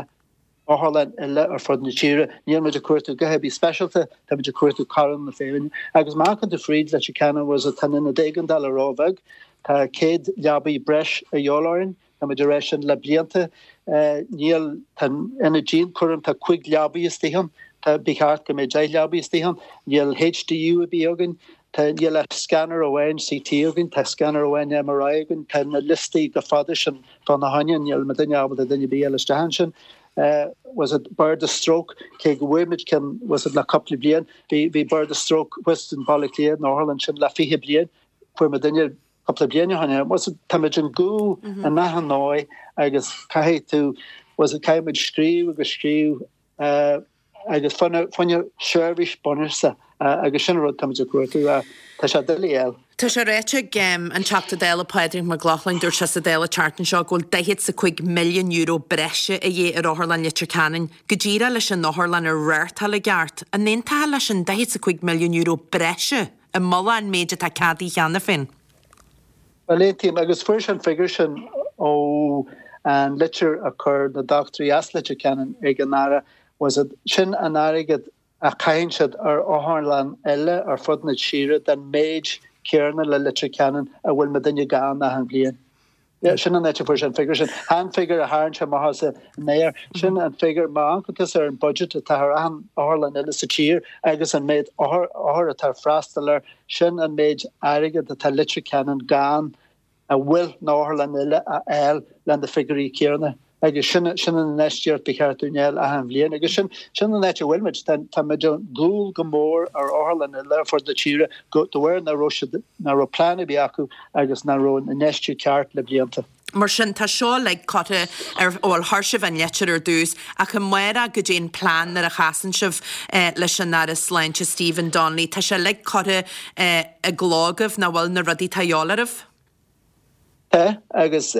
otharlann eile ar fud na tíre. Níl muid ag cuartú a dhath ar bith speisialta, tá muid ag cuartú cothrom na Féinne. Agus má amharcann tú fríd Leitir Ceanainn bhfuil fhios a'd, tá an ionad éigeandála róbheag, tá 100 leabaidh breis a dhíobháil orainn, tá muid ag rá sin le blianta. Níl, tá an ionad dianchúraim, tá 5 leabaidh istigh ann, tá, ba cheart go mbeadh 10 leabaidh istigh ann. Níl HDU ar bith againn, tá, níl ach scanner amháin CT againn, tá scanner amháin MRI againn, tá na liostaí chomh fada sin Fána choinne, níl muidinne ábalta duine ar bith a fháil isteach ansin. Bhfuil fhios a'd, Barda Stroke, cé go bhfuair muid ceann, bhfuil fhios a'd, le cúpla bliain, bhí, bhí Barda Stroke thuas in Baile Átha Cliath, in otharlann ansin le 20 bliain, fuair muidinne cúpla bliain ó shin é. Bhfuil fhios a'd, táimid ar gcúl in achan dóigh agus caithfidh tú, bhfuil fhios a'd, caithfidh muid scríobh agus scríobh, agus fá choinne seirbhís bunúsach agus sin an rud táimid ag cuartú. Tá sé doiligh a fháil. Tá sé ráite ag an Teachta Dála Pádraig Mac Lochlainn, dúirt sé sa Dáil an tseachtain seo go bhfuil €45 milliún breise a dhíth ar Otharlann Leitir Ceanainn go díreach leis an otharlann a reáchtáil i gceart. An aontófá leis an €45 milliún breise i mullach an méid atá ceadaithe cheana féin? Bhuel, aontaím, agus fuair sé an figiúr sin ó an litir a chuir na dochtúirí as Leitir Ceanainn ag an Aire, was it, sin an airgead a chaitheann siad ar otharlann eile ar fud na tíre den méid céarna le Leitir Ceanainn a bhfuil muidinne gann achan bhliain. Sin an áit a fuair sé an figiúr sin. Chan an figiúr a tharraing sé amach as an aer. Sin an figiúr, má amharcann tusa ar an budget atá ar achan otharlann eile sa tír agus an méid othar atá ag freastal air, sin an méid airgead atá Leitir Ceanainn gann a bhfuil na otharlann eile a fháil le na figiúirí céanna. Agus sin, sin an infheistíocht ba cheart dúinn a fháil achan bhliain. Agus sin, sin an áit a bhfuil muid. Tá, tá muid ar gcúl go mór ar otharlann eile ar fud na tíre go, de bharr nach raibh siad, nach raibh plean ar bith acu agus nach raibh an infheistiú ceart le blianta. Mar sin, tá seo uilig curtha ar, bhuel, chuir sibh an litir ar dtús, ach amárach goidé an plean nuair a chasann sibh leis an Aire Sláinte Stephen Donnelly. Tá sé uilig curtha i gcló agaibh, nach bhfuil, na rudaí atá a dhíobháil oraibh? Tá, agus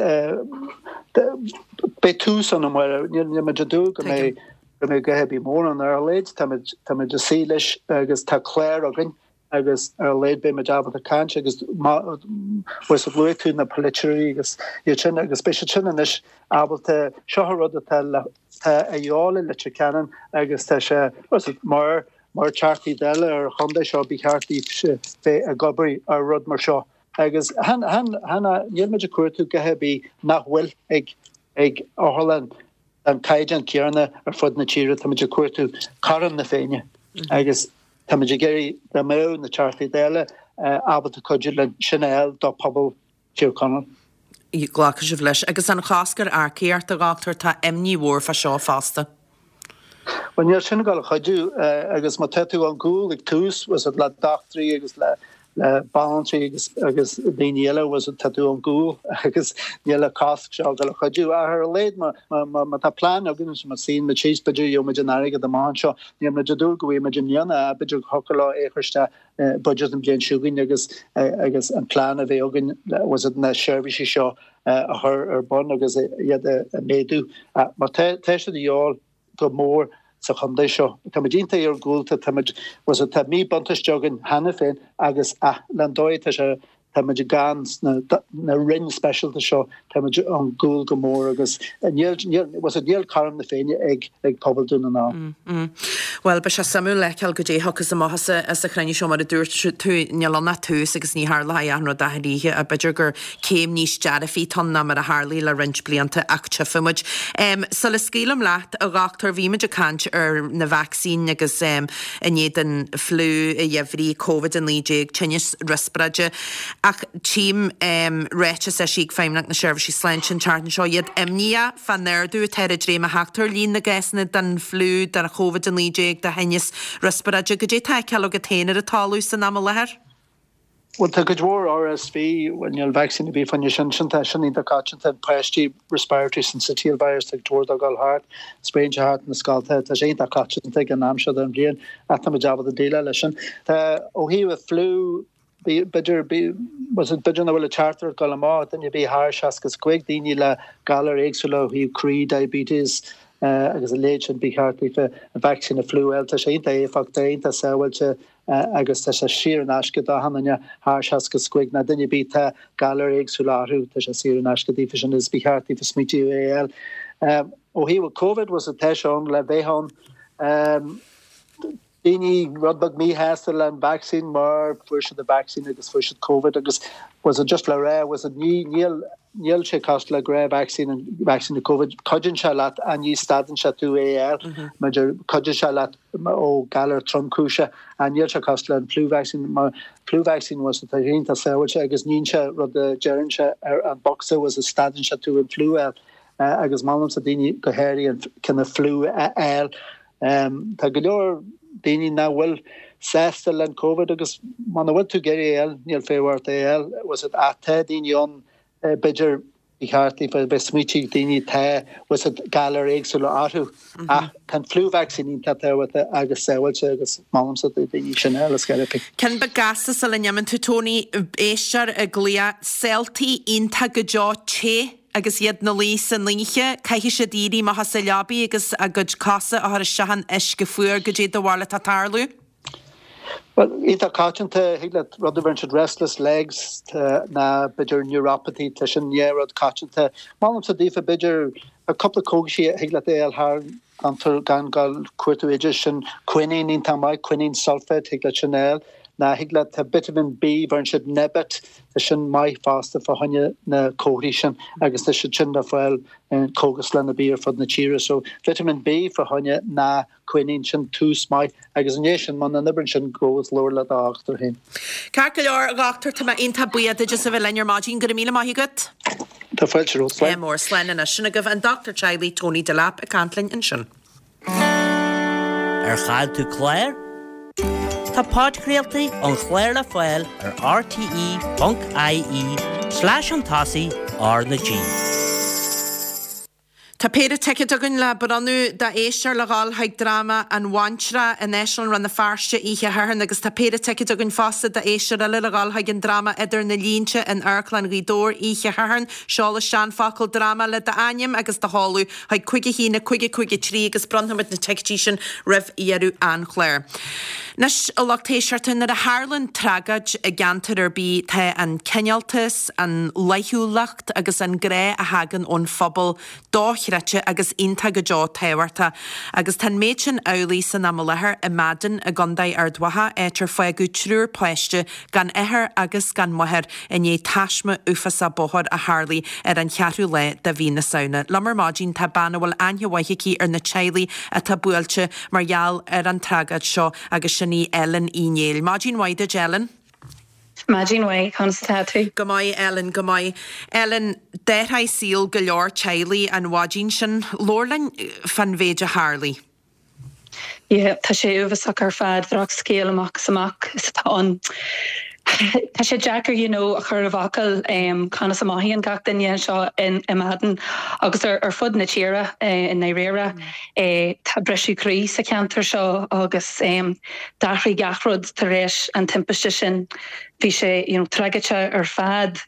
beidh tús ann amárach. Níl muid ag dúil go mbeidh go mbeidh a dhath ar bith mór ann ar a laghad. Táimid táimid ag suí leis agus tá clár againn agus ar a laghad beidh muid ábalta caint agus bhfuil luaigh tú na polaiteoirí agus iad sin agus beidh siad sin anois ábalta seo an rud atá le tá a dhíobháil i Leitir Ceanainn agus tá sé mar mar Teachtaí Dála ar an chontae seo ba cheart daoibhse bheith ag obair ar rud mar seo. Agus chan, chan, chan, níl muid ag cuartú a dhath ar bith nach bhfuil ag, ag otharlann den caighdeán céanna ar fud na tíre, tá muid ag cuartú cothrom na Féinne agus tá muid ag iarraidh dá mbeadh na Teachtaí Dála ábalta cuidiú linn sin a fháil do phobal Thír Chonaill. Glacfaidh sibh leis. Agus an cosc ar earcaíocht, a dhochtúir, tá imní mhór fá seo fosta. Bhuel, níl sin ag dul a chuidiú agus má tá tú ar gcúl ag tús, bhfuil 's agat, le dochtúirí agus le le banaltraí agus agus daoine eile, bhfuil 's agat, tá tú ar gcúl agus níl an cosc seo ag dul a chuidiú. Ach ar a laghad má má má tá plean againn agus má suíonn muid síos, b'fhéidir gheobhaidh muid an airgead amach anseo. Níl muid ag dúil go bhfaighidh muid i mbliana ach b'fhéidir go thiocfadh leo é a chur isteach i budget an bhliain seo chugainn agus agus an plean a bheith againn, bhfuil 's agat, na seirbhísí seo a chur ar bun agus iad a mhéadú. Mar tá siad a dhíobháil go mór sa chontae seo. Tá muid iontach iargúlta, tá muid, bhfuil 's agat, tá míbhuntáiste againn cheana féin agus ach le dóigh tá sé, tá muid gann sna na roinn speisialta seo, tá muid ar gcúl go mór agus níl, níl, bhfuil 's agat, níl cothrom na Féinne ag ag pobal Dún na nGall. Bhuel, beidh sé suimiúil le feiceáil goidé a thiocfas amach as an chruinniú seo, mar a dúirt tú, níl ann ach tús agus ní tharlóidh achan rud achan oíche ach b'fhéidir gur céim níos dearfaí atá ann ná mar a tharlaigh le roinnt blianta ach tchífidh muid. Sula scaoilim leat, a dhochtúir, bhí muid ag caint ar na vacsaíní agus i ndiaidh don fliú a gheimhridh, Covid-19, tinneas riospráide ach tchím ráiteas eisithe ag Feidhmeannacht na Seirbhíse Sláinte an tseachtain seo, iad imníoch fán ardú atá ar an dréim a theacht ar líon na gcásanna den fliú, den Covid-19, de thinneas riospráide. Goidé atá á fheiceáil agat féin ar an talamh san am i láthair? Bhuel, tá cuid mhór RSV, bhuel, níl vacsaín ar bith fá choinne sin, sin tá sin iontach coitianta, páistí, respiratory syncytial virus, tá cuid mhór dó ag dul thart, spréann sé thart na scoltacha, tá sé iontach coitianta ag an am seo den bhliain, ach tá muid ábalta déileáil leis sin. Tá, ó thaobh an fliú, b'fhéidir, b'fhéidir nach bhfuil an teachtaireacht ag dul amach, duine ar bith thar 65, daoine le galair éagsúla ó thaobh croí, diabetes, agus a leithéid sin, ba cheart daofa an vacsaín an fliú a fháil, tá sé iontach éifeachtach, iontach sábháilte, agus tá sé saor in aisce d'achan duine thar 65 nó duine ar bith tá galair éagsúla orthu, tá sé saor in aisce daofa sin agus ba cheart daofa smaointiú é a fháil. Ó thaobh Covid, bhfuil 's agat, tá sé ann le bheith ann. Daoine rud beag míshásta le an vacsaín mar fuair siad an vacsaín agus fuair siad Covid agus bhfuil 's agat just le rá, bhfuil 's agat, ní, níl, níl sé cosúil le gnáth-vacsaín, an vacsaín do Covid, cuidíonn sé leat ach ní stadann sé tú é a fháil, maidir, cuidíonn sé leat ó galar tromchúiseach ach níl sé cosúil le an flu vaccine mar flu vaccine bhfuil 's agat, tá sé iontach sábháilte agus níonn sé rud a deireann sé ar an bocsa bhfuil 's agat, stadann sé tú an fliú a fháil agus molaimse daoine go háirithe an cineál fliú a fháil. Tá go leor daoine nach bhfuil sásta le an Covid agus muna bhfuil tú ag iarraidh é a fháil níl feidhm ort é a fháil bhfuil 's agat ach tá daoine ann b'fhéidir. Ba cheart daofa bheith smaoitiú daoine atá bhfuil siad galair éagsúla orthu ach tá an flu vaccine iontach tábhachtach agus sábháilte agus molaimse do daoine sin a fháil ar scor ar bith. Ceann beag gasta sula n-imíonn tú Tony, éisteoir ag glaoch, Saoltaí iontach go deo te agus iad 'na luí san oíche, caithfidh siad éirí amach as a leabaidh agus a gcuid cosa a chur isteach in uisce fuar, goidé do bharúil atá ag tarlú? Bhuel, iontach coitianta, thig leat rud a bheireann siad restless legs ná b'fhéidir neuropathy, tá sin dhá rud coitianta. Molaimse daofa b'fhéidir cúpla cógaisí a thig leat a fháil thar gan tú gan dul cuartú oideas, sin quinine iontach maith, quinine sulfate, thig leat sin a fháil. Ná thig leat tá vitamin B, bheireann siad Nebet, tá sin maith fosta fá choinne na comharthaí sin agus tá siad sin le fáil in cógaslann ar bith ar fud na tíre. So vitamin B fá choinne na quinine, sin tús maith agus i ndiaidh sin, muna n-oibríonn sin, gabh agus labhair le do dhochtúir féin. Ceart go leor, a dhochtúir, tá mé iontach buíoch duit as a bheith linn ar maidin. Go raibh míle maith agat. Tá fáilte romhat. Slán. Mór. Slán anois. Sin agaibh an dochtúir teaghlaigh Tony Delap ag caint linn ansin. Ar chaill tú clár? Tá podchraoltaí an chláir le fáil ar rte.ie slash chun tosaigh R na G. Tá péire ticéad againn le bronnadh d'éisteoir le dhul chuig dráma An Bhaintreach in Áislann Rann na Feirste oíche Shathairn agus tá péire ticéad againn fosta d'éisteoir eile le dhul chuig an dráma Idir na Línte in Amharclann Ghaoth Dobhair oíche Shathairn. Seol isteach an focal 'dráma' le d'ainm agus do sheoladh chuig 5 1 5 5 3 agus bronnfaimid na ticéidí sin roimh dheireadh an chláir. Anois, a lucht éisteachta, nuair a tharlann tragóid i gceantar ar bith tá an cineáltas, an fhlaithiúlacht, agus an grá a thagann ón phobal dochreidte agus iontach go deo tábhachtach. Agus tá an méid sin amhlaidh san am i láthair i Meadain i gContae Ard Mhacha, áit ar fágadh triúr páiste gan athair agus gan máthair i ndiaidh taisme uafásach bóthair a tharlaigh ar an cheathrú lá de mhí na Samhna. Liom ar maidin tá bean a bhfuil aithne mhaith aici ar na teaghlaigh atá buailte mar gheall ar an tragóid seo agus sin í Ellen Uí Néill. Maidin mhaith duit Ellen. Maidin mhaith, conas atá tú? Go maith, Ellen, go maith. Ellen, d'athraigh saol go leor teaghlaigh an mhaidin sin. Labhair linn fán mhéid a tharlaigh. Yeah, tá sé uafásach ar fad, drochscéal amach is amach is atá ann. Tá sé deacair you know a chur i bhfocail conas a mothaíonn gach duine anseo i Meadain agus ar fud na tíre i ndáiríre. Tá briseadh croí sa cheantar seo agus D'athraigh gach rud tar éis an timpiste sin. Bhí sé you know tragóideach ar fad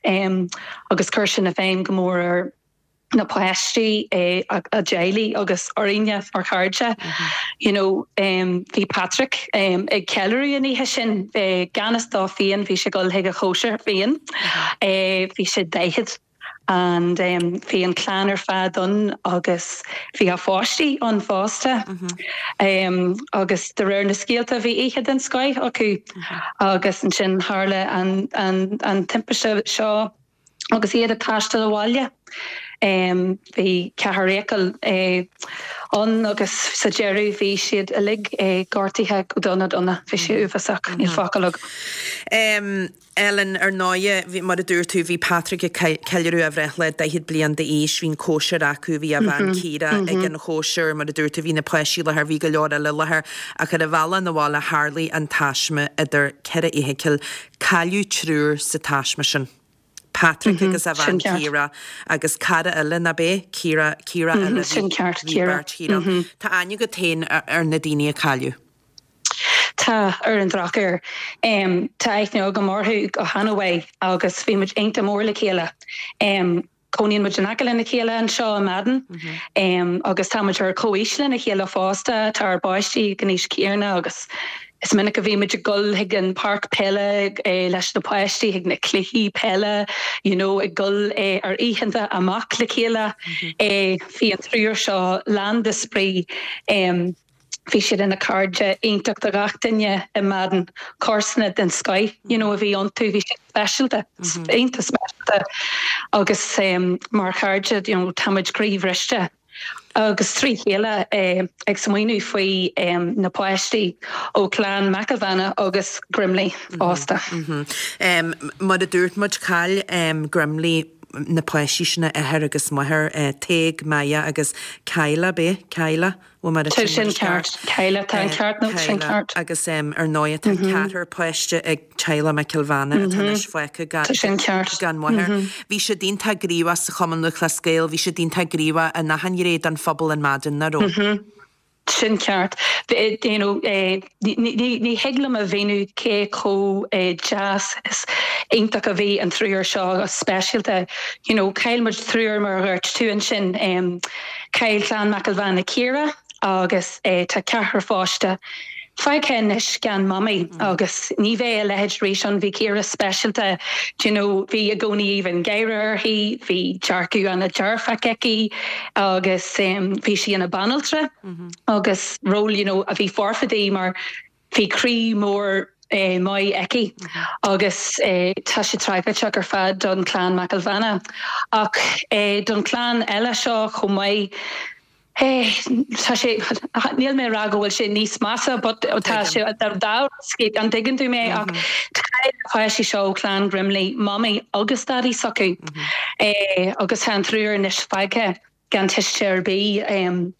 agus chuir sin i bhfeidhm go mór ar na páistí, a dteaghlaigh agus orainne mar chairde. You know bhí Patrick ag ceiliúradh an oíche sin, gan fhios dó féin bhí sé ag dul chuig a chóisir féin. Bhí sé 40. and bhí an clann ar fad ann agus bhí a pháistí ann fosta agus de réir na scéalta bhí oíche den scoith acu agus ansin tharla an an an timpiste seo agus iad ag taisteal abhaile. Bhí ceathair fheithicil ann agus sa deireadh bhí siad uilig gortaithe go dona dona. Bhí sé uafásach, níl focal agam. Ellen, Ar ndóighe, bhí, mar a dúirt tú, bhí Patrick ag ceiliúradh a bhreithlá, 40 bliain d'aois, bhí an cóisir acu, bhí a bhean Ciara ag an chóisir, mar a dúirt tú, bhí na páistí i láthair, bhí go leor eile i láthair, ach ar a bhealach 'na bhaile tharlaigh an taisme idir ceithre fheithicil. Cailleadh triúr sa taisme sin. Patrick agus a bhean Ciara agus cara eile, nach b'é? Ciara, Ciara eile, bhí beirt Chiara ann. Tá aithne agat féin ar na daoine a cailleadh. Tá, ar an drochuair. Tá aithne agam orthu go han-mhaith agus bhí muid iontach mór le chéile. Cónaíonn muid in aice lena chéile anseo i Meadain agus tá muid ar comhaois lena chéile fosta, tá ár bpáistí ag an aois chéanna agus is minic a bhí muid ag dul chuig an páirc peile leis na páistí, chuig na cluichí peile, you know, ag dul ar oícheanta amach le chéile. Bhí an triúr seo lán de spraoi. Bhí siad ina cairde iontach do gach duine i Meadain, comharsana den scoith you know a bhí iontu, bhí siad speisialta, iontach speisialta agus mar chairde you know táimid croíbhriste agus trí chéile ag smaoineamh faoi na páistí ó chlann McElvanna agus Grimley fosta. Mar a dúirt muid, chaill Grimley. na páistí sin, a athair agus máthair, Tadhg, Maya agus Kyla, ab é? Kyla? Bhfuil mé Tá sin ceart. Kyla, tá an ceart, nó sin ceart. Agus ar ndóigh tá ceathrar páiste ag teaghlach McElvanna atá anois fágtha gan Tá sin ceart. gan máthair. Bhí siad iontach gníomhach sa Chumann Lúthchleas Gael, bhí siad iontach gníomhach in achan ghné den phobal in Madden, nach raibh? Sin ceart. You know, ní thig liom a mhíniú cé chomh deas is iontach a bhí an triúr seo, speisialta. You know, chaill muid triúr mar a dhúirt tú ansin. Chaill clann McElvanna Ciara agus tá ceathrar pháiste fágtha anois gan mamaí agus ní bheidh a leithéid arís ann. Bhí Ciara speisialta, do you know, bhí i gcónaí aoibh an gháire uirthi, bhí dearcadh an-dearfach aici agus bhí sí ina banaltra agus ról, you know, a bhí foirfe di mar bhí croí mór maith aici agus tá sé tragóideach ar fad don chlann McElvanna ach don chlann eile seo chomh maith. Tá sé, níl mé ag rá go bhfuil sé níos measa but tá sé dá an dtuigeann tú mé ach chaill na páistí seo ó chlann Grimley mamaí agus daidí s'acu agus tá an triúr anois fágtha gan tuiste ar bith.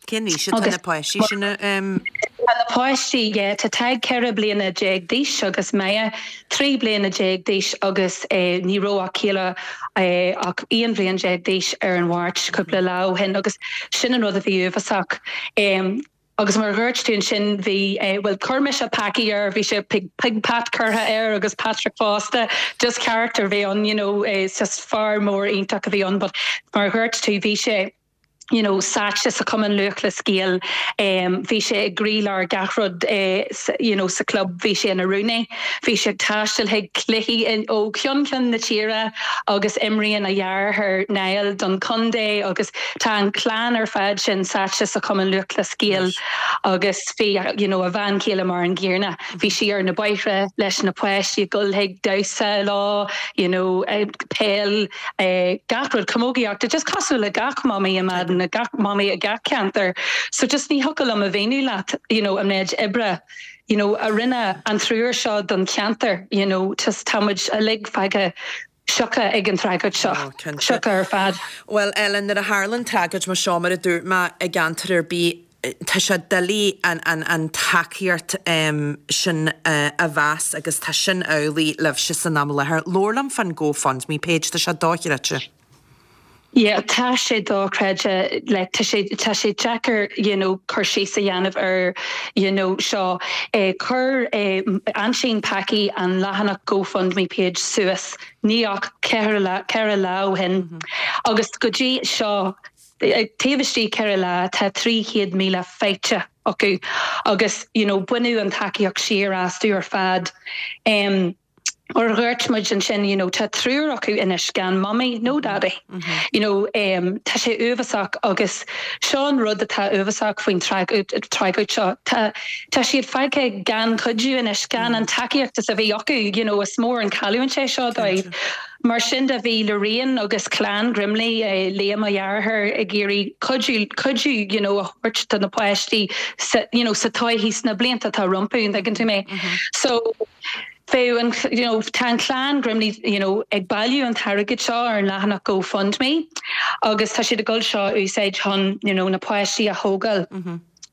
Cén aois atá na páistí sin? Tá na páistí, yeah, tá Tadhg 14 bliana d'aois agus Maya 13 bliana d'aois agus ní raibh ach Kayla ach 11 bhliain d'aois ar an Mháirt, cúpla lá ó shin agus sin an rud a bhí uafásach. Agus mar a dhúirt tú ansin bhí, bhuel chuir mise Packie air, bhí sé Pig Pat curtha air agus Patrick fosta, just character a bhí ann, you know, just fear mór iontach a bhí ann but mar a dhúirt tú bhí sé, you know, sáite sa Chumann Lúthchleas Gael, bhí sé i gcroílár gach rud you know sa chlub, bhí sé ina rúnaí, bhí sé ag taisteal chuig cluichí ó cheann ceann na tíre agus imríonn a dheartháir Niall don chontae agus tá an chlann ar fad sin sáite sa Chumann Lúthchleas Gael agus bhí you know a bhean chéile mar an gcéanna, bhí sí ar na bóithre leis na páistí ag dul chuig damhsa leo, you know peil. gach rud, camógaíocht, just cosúil le gach mamaí i Madden, gach mamaí i gach ceantar. So just ní thiocfadh liom a mhíniú leat, you know, an méid oibre, you know, a rinne an triúr seo don cheantar, you know, just tá muid uilig fágtha sioctha ag an tragóid seo, Oh, cinnte. sioctha ar fad. Bhuel, Ellen, nuair a tharlann tragóid mar seo, mar a dúirt mé, i gceantar ar bith, tá sé doiligh an tacaíocht sin a mheas agus tá sin amhlaidh libhse san am i láthair. Labhair liom fán GoFundMe page, tá sé dochreidte. Yeah, tá sé dochreidte, like tá sé, tá sé deacair you know cur síos a dhéanamh ar you know seo. Chuir aintín Packie an leathanach GoFundMe page suas ní ach ceithre lá, 4 lá ó shin agus go dtí seo Taobh istigh 4 lá tá 300,000 faighte acu agus you know baineadh an tacaíocht siar astu ar fad. Mar a dhúirt muid ansin you know tá triúr acu anois gan mamaí nó daidí. You know tá sé uafásach agus seo an rud atá uafásach faoin tragóid seo. Tá tá siad fágtha gan cuidiú anois, gan an tacaíocht is a bhí acu you know is mór an cailliúint é seo dóibh. Mar sin de, bhí Lorraine agus clann Grimley, Liam a dheartháir, ag iarraidh cuidiú, cuidiú you know a thabhairt do na páistí sa, you know, sa todhchaí, sna blianta atá rompu, an dtuigeann tú mé? So, bheadh an, you know, tá an clann Grimley, you know, ag bailiú an t-airgead seo ar an leathanach GoFundMe agus tá siad ag dul seo a úsáid chun, you know, na páistí a thógáil.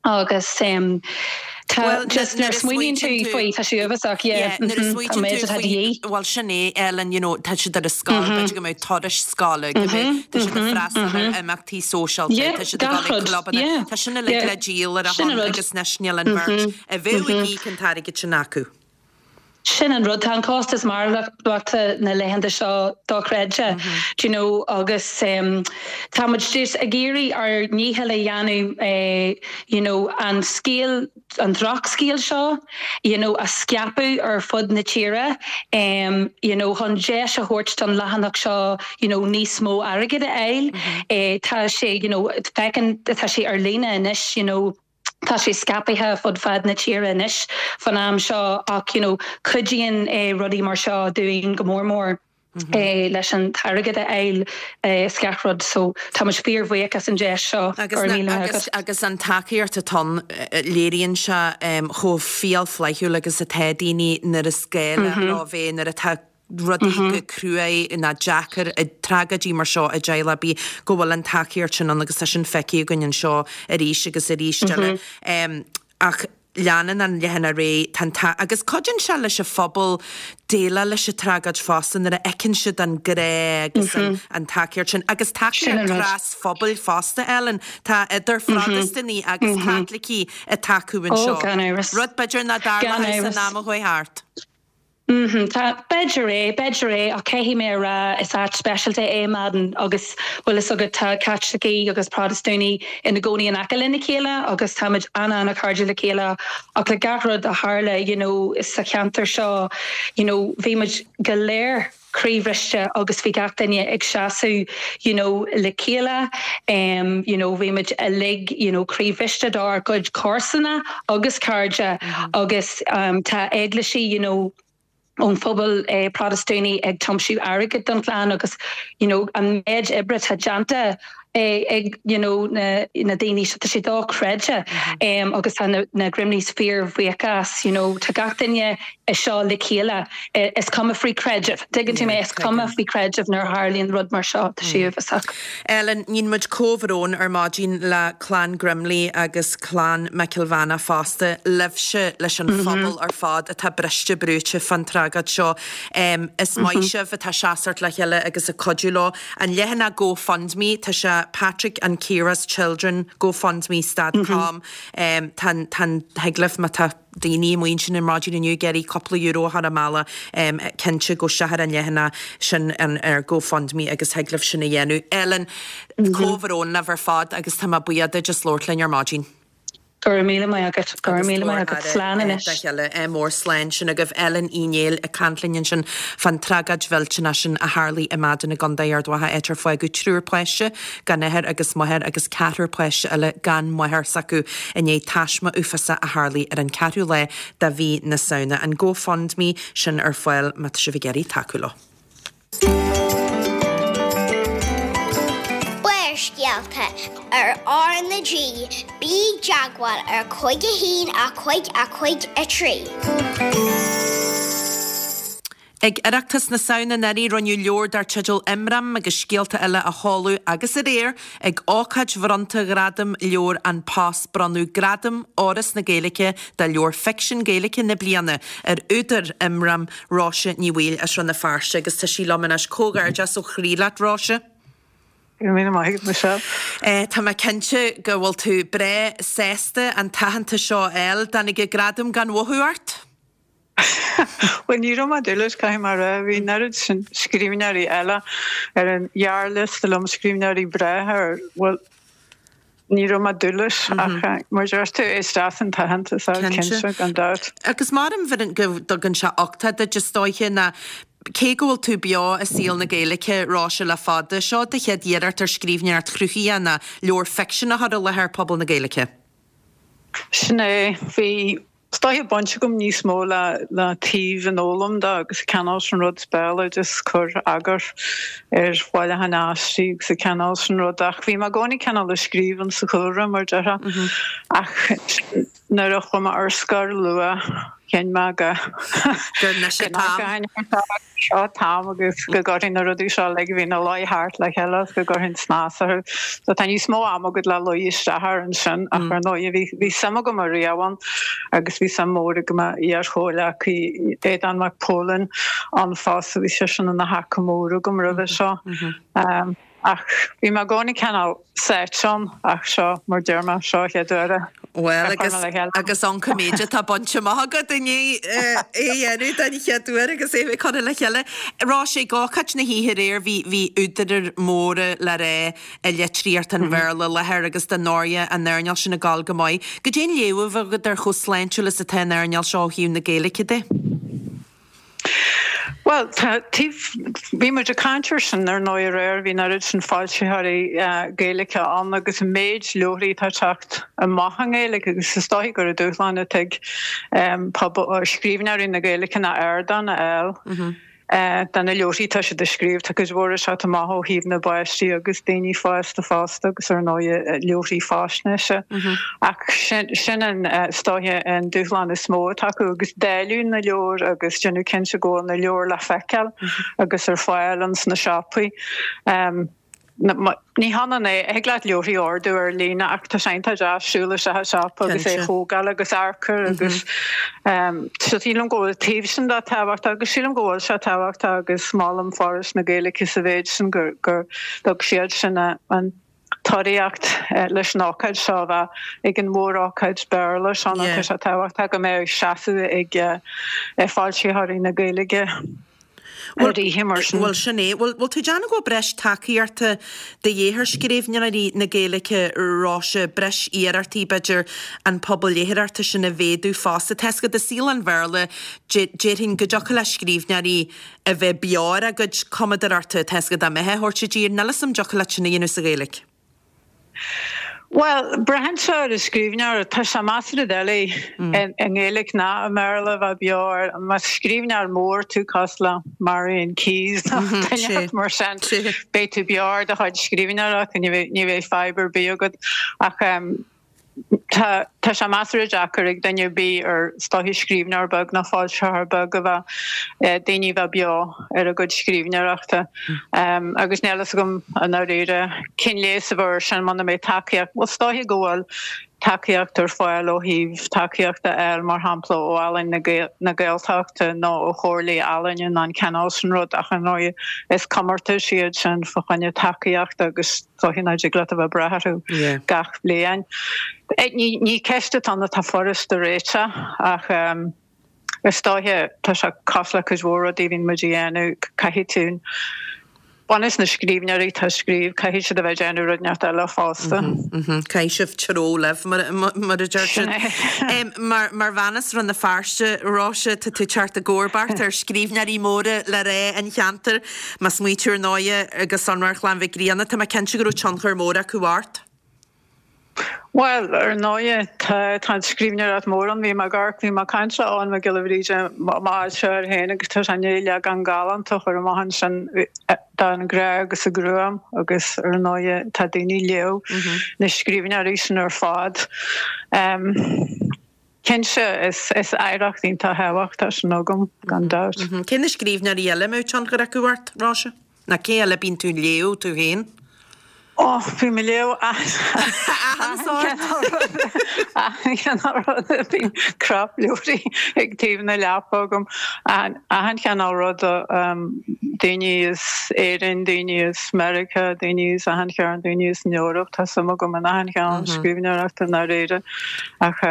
Agus tá just nuair a smaoiníonn tú faoi, tá sé uafásach, yeah, Nuair a an smaoitíonn méid tú atá de faoi, dhíth. bhuel sin é, Ellen, you know, tá siad ar an scoil, b'fhéidir go mbeadh turais scoile, go mbeadh, tá siad ag freastal ar imeachtaí sóisialta, tá siad ag gach dul ag rud, clubanna, yeah, tá sin uilig yeah, le díol ar a sin an shon rud. agus anois níl an bheirt a bheadh ag íoc an t-airgead sin acu. Sin an rud, tá an costas maireachtála na laethanta seo dochreidte, do you know, agus tá muid just ag iarraidh ár ndícheall a dhéanamh, you know, an scéal, an drochscéal seo, you know, a scaipeadh ar fud na tíre, you know, chun deis a thabhairt don leathanach seo, you know, níos mó airgid a fháil. Tá sé, you know, feiceann, tá sé ar líne anois, you know, Tá sé scaipthe fud fad na tíre anois fan am seo ach you know cuidíonn rudaí mar seo dúinn go mór mór leis an t-airgead a fháil is gach rud so tá muid fíor bhuíoch as an deis seo. Go raibh míle maith agat. Agus an tacaíocht atá ann, léiríonn sé chomh fial flaithiúil agus atá daoine nuair is gá leo bheith, nuair atá. rudaí go cruaidh ná deacair, tragóidí mar seo i dteaghlach ar bith, go bhfuil an tacaíocht sin ann agus tá sin feicthe againn anseo arís agus arís eile. Ach leanann an leathanach ar aghaidh, tá an t-, agus cuidíonn sé leis an phobal déileáil leis an tragóid fosta nuair a fheiceann siad an grá agus an tacaíocht sin agus tacaíocht trasphobail fosta, Ellen. Tá idir Phrotastúnaigh agus Caitlicigh ag tacú anseo. Rud b'fhéidir nach dtarlódh san am a chuaigh thart. Mm-hmm. Tá, b'fhéidir é, b'fhéidir é, ach caithfidh mé a rá, is áit speisialta é Madden agus, bhfuil fhios agat, tá Caitlicigh agus Protastúnaigh ina gcónaí in aice lena chéile agus táimid an-an-chairdiúil le chéile ach le gach rud a tharla, you know, sa cheantar seo, you know, bhí muid go léir croíbhriste agus bhí gach duine ag seasamh, you know, le chéile, em, you know, bhí muid uilig, you know, croíbhriste dár gcuid comharsana agus cairde agus tá eaglaisí you know ón phobal Protastúnaí ag tiomsú airgid don chlann agus you know an méid oibre atá déanta ag you know na na daoine seo tá sé dochreidte agus tá na na Grimleys fíorbhuíoch as you know tá gach duine anseo le chéile is cuma faoi creideamh tuigeann tú mé is cuma faoi creideamh nuair a tharlaíonn rud mar seo tá sé uafásach. Ellen, Níonn muid comhbhrón ar maidin le clann Grimley agus clann McIlvana fosta, libhse, leis an phobal ar fad atá briste brúite fán tragóid seo. Is maith sibh atá seasamh le chéile agus ag cuidiú leo. An leathanach GoFundMe, tá sé Patrick and Ciara's Children GoFundMe stad com. Tá an, tá an, thig libh má tá. daoine amuigh ansin ar maidin inniu ag iarraidh cúpla euro a chur a mbealach, cinnte gabh isteach ar an leathanach sin ar GoFundMe agus thig libh sin a dhéanamh. Ellen, comhbhrón libh ar fad agus tá mé buíoch duit as labhairt linn ar maidin. Go raibh míle maith agat. Go raibh míle maith agat. Slán anois. Dá chéile. Ádh mór slán sin agaibh. Ellen Uí Néill ag caint linn ansin fán tragóid mhillteanach sin a tharlaigh i Madden i gContae Ard Mhacha áit ar fágadh triúr páiste gan athair agus máthair agus ceathrar páiste eile gan máthair s'acu i ndiaidh taisme uafásach a tharlaigh ar an ceathrú lá de mhí na Samhna. An GoFundMe sin ar fáil má tá sibh ag iarraidh tacú leo. Barrscéalta ar R na G, bí i dteagmháil ar 5 1 5 5 3. Ag Oireachtas na Samhna anuraidh rinneadh leabhar dar teideal Imram agus Scéalta Eile a sheoladh agus aréir ag ócáid bhronnta Ghradam Leabhar An Post bronnadh Gradam Fhoras na Gaeilge do Leabhar Ficsin Gaeilge na Bliana ar údar Imram, Róise Ní Bhaoill as Rann na Feirste agus tá sí liom anois. Comhghairdeas ó chroí leat Róise. Go raibh míle maith agat Michelle. Tá mé cinnte go bhfuil tú breá sásta an t-aitheantas seo a fháil. Dtáinig an gradam gan mhothú ort? Bhuel, ní raibh mé ag dúil leis, caithfidh mé a rá. Bhí an oiread sin scríbhneoirí eile ar an ghearrliosta liom, scríbhneoirí breátha ar, bhuel, ní raibh mé ag dúil leis ach mar a deir tú, is deas an t-aitheantas é, cinnte, gan dabht. Agus maram go dtugann sé uchtach duit is dóiche ná cé go bhfuil tú beo i saol na Gaeilge, Róise, le fada, seo do chéad iarracht ar scríbhneoireacht chruthaitheach ná leabhar ficsin a chur i láthair pobal na Gaeilge. Sin é. Bhí Is dóiche baint agam níos mó le le taobh an fhoghlaim de agus cineál sin rud béaloideas cur eagar ar bhailiúchán aistí agus an cineál sin rud ach bhí mé i gcónaí cineál ag scríobh in sa chúlra mar déarfá ach nuair a chuaigh mé ar scor luath chinn mé go Gur anois an t-am. Seo an t-am agus go gcuirfinn na rudaí seo uilig a bhí ina luí thart le chéile agus go gcuirfinn snas orthu. So tá níos mó ama agat le luí isteach air ansin ach ar ndóigh bhí bhí suim agam ariamh ann agus bhí suim mhór ag m'iar-chomhghleacaí Aodán Mac Póilin ann fosta, bhí seisean ina thaca mór agam roimhe seo. Ach bhí mé i gcónaí cineál sáite ann ach seo, mar deir mé, seo an chéad uair a Bhuel, agus, agus an méid atá bainte amach agat i ndiaidh é a dhéanamh den chéad uair agus é a bheith curtha le chéile. Róise, ag ócáid na hoíche aréir bhí, bhí údair móra le rá i litríocht an Bhéarla i láthair agus dar ndóigh an earnáil sin ag gabháil go maith. Goidé an léamh a bhí agat ar chomh sláintiúil is atá an earnáil seo ó thaobh na Gaeilge de? Bhuel, tá, taobh, bhí muid ag caint air sin ar ndóigh aréir, bhí an oiread sin foilsitheoirí Gaeilge ann agus an méid leabharthaí atá ag teacht amach i nGaeilge agus is dóichí gur an dúshlán atá ag pobal, scríbhneoirí na Gaeilge ná ardán a fháil. De na leabharthaí atá siad a scríobh, tá cuid mhór ag teacht amach ó thaobh na bpáistí agus daoine fásta fosta agus ar ndóighe leabharthaí faisnéise. Ach sin an, is dóiche, an dúshlán is mó atá acu agus dáileadh na leabhar agus déanamh cinnte go bhfuil na leabhair le feiceáil agus ar fáil ins na siopaí. Ní hionann é, thig leat leabharthaí a ordú ar líne ach tá sé iontach deas siúl isteach i siopa agus é a thógáil agus amharc air agus so sílim go bhfuil taobh sin de tábhachtach agus sílim go bhfuil sé tábhachtach agus molaim Foras na Gaeilge sa mhéid sin gur gur thug siad sin an t-urraíocht leis an ócáid seo a bheith ag an mhór-ócáid Béarla seo nó tá sé tábhachtach go mbeadh seasamh ag foilsitheoirí na Gaeilge. Bhuel, bhuel, sin é. Bhfuil, bhfuil tú ag déanamh go bhfuil breis tacaíochta de dhíth ar scríbhneoirí na Gaeilge, Róise, breis iarrachtaí, b'fhéidir, an pobal léitheoireachta sin a mhéadú fosta. Tá 'fhios agat i saol an Bhéarla, déarfainn go dtiocfadh le scríbhneoirí a bheith beo ar a gcuid cumadóireachta, tá 'fhios agat, dá mbeifeá a thabhairt i dtír. Níl 'fhios a'm an dtiocfadh leat sin a dhéanamh sa Ghaeilge. Bhuel, braitheann sé ar an scríbhneoir. Tá sé measartha doiligh i nGaeilge ná i mBéarla a bheith beo air. Más scríbhneoir mór tú cosúil le Marian Keyes nó duine inteacht mar sin, beidh tú beo ar do chuid scríbhneoireachta, ní bheidh fadhb ar bith agat. Ach tá tá sé measartha deacair ag duine ar bith ar is dóiche scríbhneoir beag nó foilsitheoir beag a bheith daoine a bheith beo ar a gcuid scríbhneoireachta. Agus níl fhios agam i ndáiríre cén leigheas a bheadh air sin muna mbeidh tacaíocht, bhuel is dóiche go bhfuil tacaíocht ar fáil ó thaobh tacaíocht a fháil mar shampla ó Ealaín na Gaeltachta nó ó Chomhairlí Ealaíne nó an cineál sin rud ach ar ndóigh is comórtais iad sin fá choinne tacaíochta agus is dóiche nach dtig leat a bheith ag brath orthu gach bliain. Ní ceist atá ann atá furast a réiteach ach Is dóiche, tá sé cosúil le cuid mhór rudaí a bhíonn muid a dhéanamh, caithfidh tú, bunús na scríbhneoirí atá ag scríobh, caithfidh siad a bheith ag déanamh rud inteacht eile fosta. Caithfidh sibh treabhadh libh, mar a deir siad. Mar bhean as Rann na Feirste, Róise, tá tú ag teacht i gcomharbacht ar scríbhneoirí móra le rá an cheantair. Má smaointíonn tú ar ndóighe go sonrach ar Chlann Mhic Grianna, tá mé cinnte go raibh tionchar mór acu ort. Bhuel, ar ndóighe, tá tá an scríbhneoireacht mór ann. Bhí mé ag amharc, bhí mé ag caint le Eoghan Mac Giolla Bhríde amach anseo air féin agus tá sé i ndiaidh leagán galánta a chur amach ansin den Ghrá agus an Ghruaim agus ar ndóighe tá daoine ag léamh na scríbhneoirí sin ar fad. Cinnte, is oidhreacht iontach thábhachtach sin agam, gan dabht. Cé na scríbhneoirí eile a mbeadh tionchar acu ort, Róise? Nó cé eile a bíonn tú ag léamh tú féin? Ó, bím ag léamh achan cineál rud, achan chineál rud, bíonn crapleabhraí ag taobh na leapa agam, achan chineál rud, daoine as Éirinn, daoine as Meiriceá, daoine as achan chearn, daoine as an Eoraip, tá suim agam in achan chineál scríbhneoireachta i ndáiríre. Ach.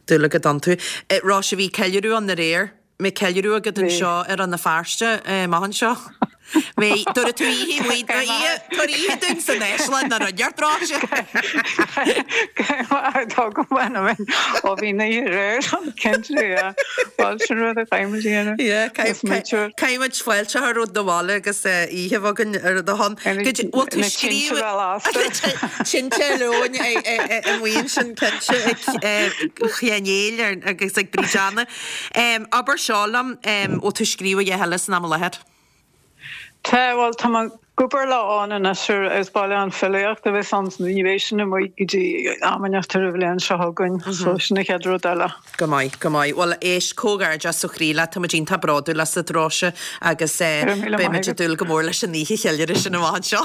Dúil agat iontu. Róise, bhí ceiliúradh ann aréir. Mbeidh ceiliúradh agat anseo i Rann na Feirste amach anseo. Mbeidh, tabharfaidh tú oíche amuigh, tabhair oíche dúinn san Áislann nó rud inteacht, Róise. Ó bhí an oíche aréir ann, cinnte, yeah. Bhuel, sin rud a chaithfidh muid a dhéanamh. Yeah, caithfidh muid fáilte a chur romhat 'na bhaile agus oíche a bheith againn ar do shon. Bhfuil tú scríobh. Tinte leoin amuigh ansin cinnte ag Sheáin Néill agus ag Bríd Anna. Abair seo liom, bhfuil tú ag scríobh a dhath eile san am i láthair? Tá, bhuel tá mé ag obair le Eoghan anois ar is bailiúchán filíochta a bheas ann, ní bheidh sin amuigh go dtí am inteacht ar an bhliain seo chugainn, so sin an chéad rud eile. Go maith, go maith. Bhuel, éist, comhghairdeas ó chroí leat, tá muid iontach bródúil asat, Róise, agus beidh muid ag dúil go mór leis an oíche cheiliúradh sin amach anseo.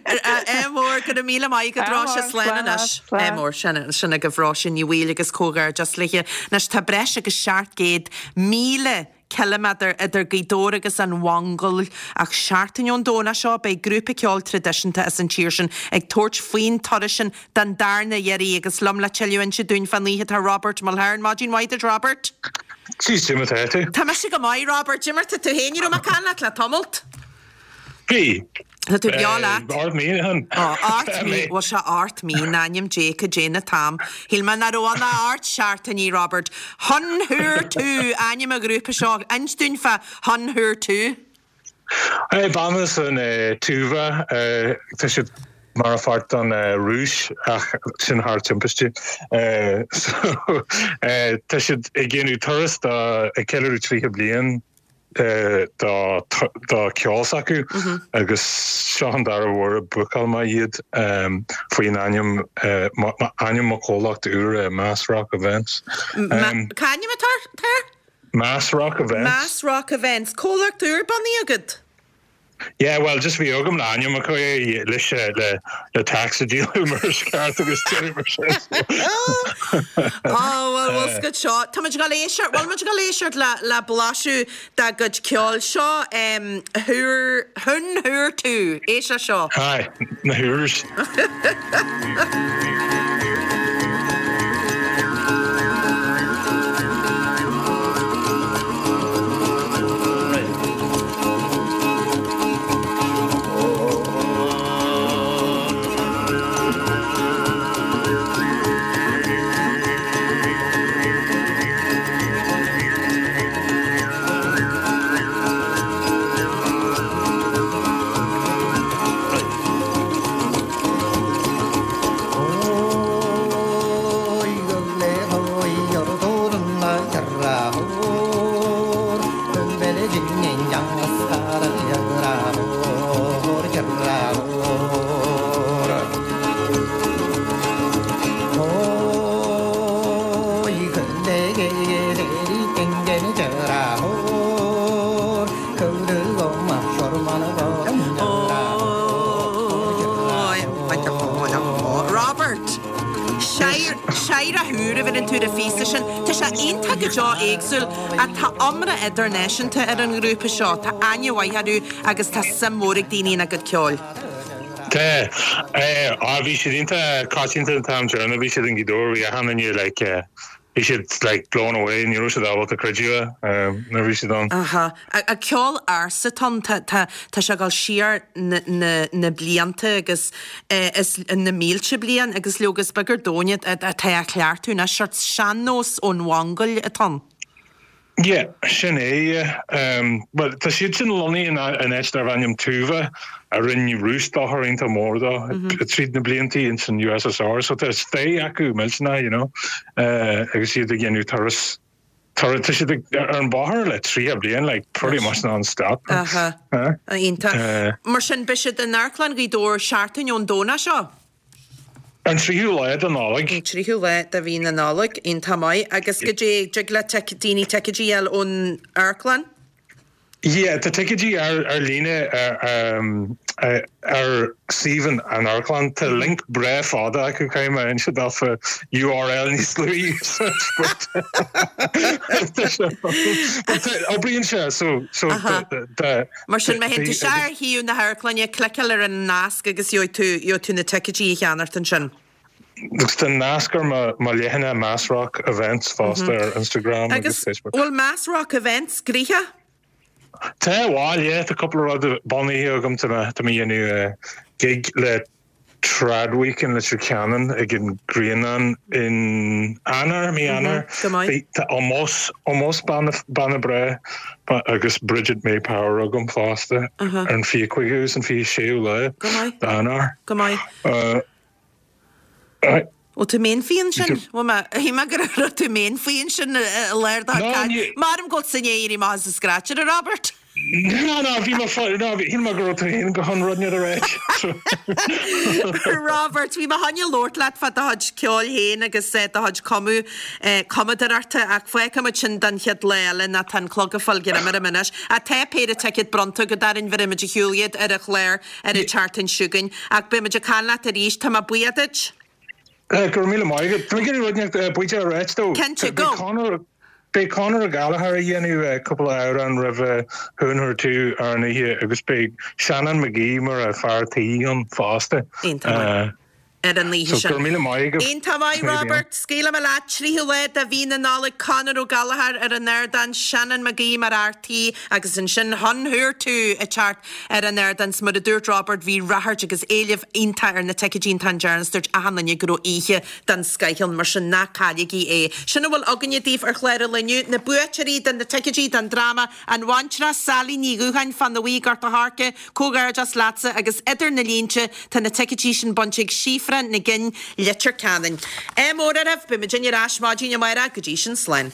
Ádh mór, go raibh míle maith agat, Róise, slán anois. Ádh mór, sin agaibh Róise Ní Bhaoill agus comhghairdeas léi. Anois, tá breis agus 700,000 ciliméadar idir Gaoth Dobhair agus an Mhongóil ach seachtain ón Domhnach seo beidh grúpa ceoil traidisiúnta as an tír sin ag tabhairt faoin turas sin den darna iarraidh agus liom le tuilleadh a inse dúinn fán oíche tá Robert Mulhern. Maidin mhaith duit Robert. Jeez, cad é mar tá tú? Tá mise go maith Robert, cad é mar tá tú féin, ní raibh mé ag caint leat le tamalt. Bhí. Tá tú beo leat. Ort mí, hon. Ó, ort mí, bhfuil sé ort mí, in ainm Dé, cad é na t-am. Shíl mé nach raibh ann ach ocht seachtainí, Robert. Huun Huur Tu ainm an ghrúpa seo. Inis dúinn fá Huun Huur Tu. Banna as an Tuva, tá siad. Mar pháirt don Rúis ach sin thar timpiste. So tá siad ag déanamh turas do ag ceiliúradh 30 bliain dá dá ceol s'acu agus seo an dara huair a bhookáil mé iad faoin ainm ainm mo chomhlacht úr Mass Rock Events. Cá ainm atá air? Mass Rock Events. Mass Rock Events. Comhlacht úr bunaithe agat? Yeah, well, just bhí agam le ainm acu é leis le le tax a díolú mar is ceart agus deireadh mar sin. Oh, well, bhfuil scut seo. Tá muid ag dul éisteacht, bhfuil muid ag dul éisteacht le le blaiseadh dá gcuid ceoil. Seo em Thúr, Thún Thúr Tú. Éist le seo. Aye, na Thúrs. Robert! Séire thúr a bheireann tú ar an phíosa sin. Tá sé iontach go deo éagsúil ach tá iomrá idirnáisiúnta ar an ngrúpa seo. Tá aithne mhaith orthu agus tá suim mhór ag daoine ina gcuid ceoil. Tá. Á bhí siad iontach coitianta an t-am deireanach bhí siad in Gaoth Dobhair bhí achan duine like Bhí siad like blown away, ní raibh siad ábalta creidiúint nuair a bhí siad ann. Aha. A ceol ársa atá ann, tá tá tá sé ag dul siar na na na blianta agus eh is na mílte bliain agus leoga is beag ar domhan atá á chleachtadh anois, seort sean-nós ón Mhongóil atá ann. Yeah, sin é, yeah. Bhuel, tá siad sin lonnaithe in áit darbh ainm Tuva, a rinne Rúis dochar iontach mór dó tríd na bliantaí ins an USSR, so tá stair acu millteanach, you know, agus iad ag déanamh turas, turas, tá siad ag, ar an bóthar le 30 bliain, like, pretty much non-stop. Aha, iontach. Mar sin, beidh siad in Amharclann Ghaoth Dobhair seachtain ón Domhnach seo? An tríú lá de Nollaig. An tríú lá de mhí na Nollag, iontach maith. Agus goidé, dtig le daoine ticéidí a fháil ón amharclann? Yeah, tá ticéidí ar ar líne ar suíomh an amharclann. Tá link breá fada acu, caithfidh mé inse daofa URL níos luaithe but oibríonn sé so so Mar sin, má théann tú isteach ar shuíomh na hamharclainne, cliceáil ar an nasc agus gheobhaidh tú, gheobhaidh tú na ticéidí a cheannacht ansin. Agus tá nasc ar mo, mo leathanach Mass Rock Events fosta ar Instagram agus Agus Facebook. bhfuil Mass Rock Events gnoitheach? Tá, bhuel, yeah, tá cúpla rud bunaithe agam, tá mé, tá mé a dhéanamh gig le Trad Week in Leitir Ceanainn ag an Grianán in Eanáir, mí Eanáir. Go maith. Tá Ómós, Ómós banna breá agus Bridget May Power agam fosta ar an 25ú agus an 26ú lá d'Eanáir. Go maith. Bhfuil tú mín faoi ansin? Bhfuil mé, shíl mé go raibh tú mín faoi ansin i lár do chaint. Maram go bhfuil tú i ndiaidh éirí amach as an scráitire, a Robert. No, no, bhí mé fá, no, shíl mé go raibh tú féin go chun rud inteacht a ráit. Robert, bhí mé chun labhairt leat fá do chuid ceoil féin agus do chuid cumadh, cumadóireachta ach fágfaidh muid sin don chéad lá eile nó tá an clog ag fáil greim orm anois. Ach tá péire ticéad bronnta agat orainn, bheirfidh muid ar shiúl iad ar an chlár ar an tseachtain seo chugainn. Ach beidh muid ag caint leat arís. Tá mé buíoch duit. Go raibh míle maith agat. Tá mé ag iarraidh rud inteacht buíochas a ráit dó. Cinnte, go. Beidh Conor, beidh Conor Gallagher ag déanamh cúpla amhrán roimh Thún Thúr Tú ar an oíche agus beidh Seanán McGee mar fear tí ann fosta. Iontach maith. Ar an oíche So, sin. go raibh míle maith agaibh. Iontach maith, Robert. Scaoilfidh mé leat. 3ú lá de mhí na Nollag, Conor Ó Gallchóir ar an ardán, Shannon Mag Aoidh mar fhear tí agus ansin Hun Who Tú ag teacht ar an ardán. 'S mar a dúirt Robert, bhí ráchairt agus éileamh iontach ar na ticéidí an t-am deireanach 's dúirt achan duine go raibh oíche den scoith ann, mar sin ná cailligí é. Sin a bhfuil againne daoibh ar chlár an lae inniu, na buaiteoirí de na ticéidí don dráma An Bhaintreach, Sally Ní Dhúcháin, Fána Bhuí, Gort a' Choirce, Comhghairdeas leatsa agus idir na línte tá na ticéidí sin bainte ag Síofra Nic Fhinn, Leitir Ceanainn. Ádh mór oraibh, beidh muidinne ar ais maidin amárach, go dtí sin slán.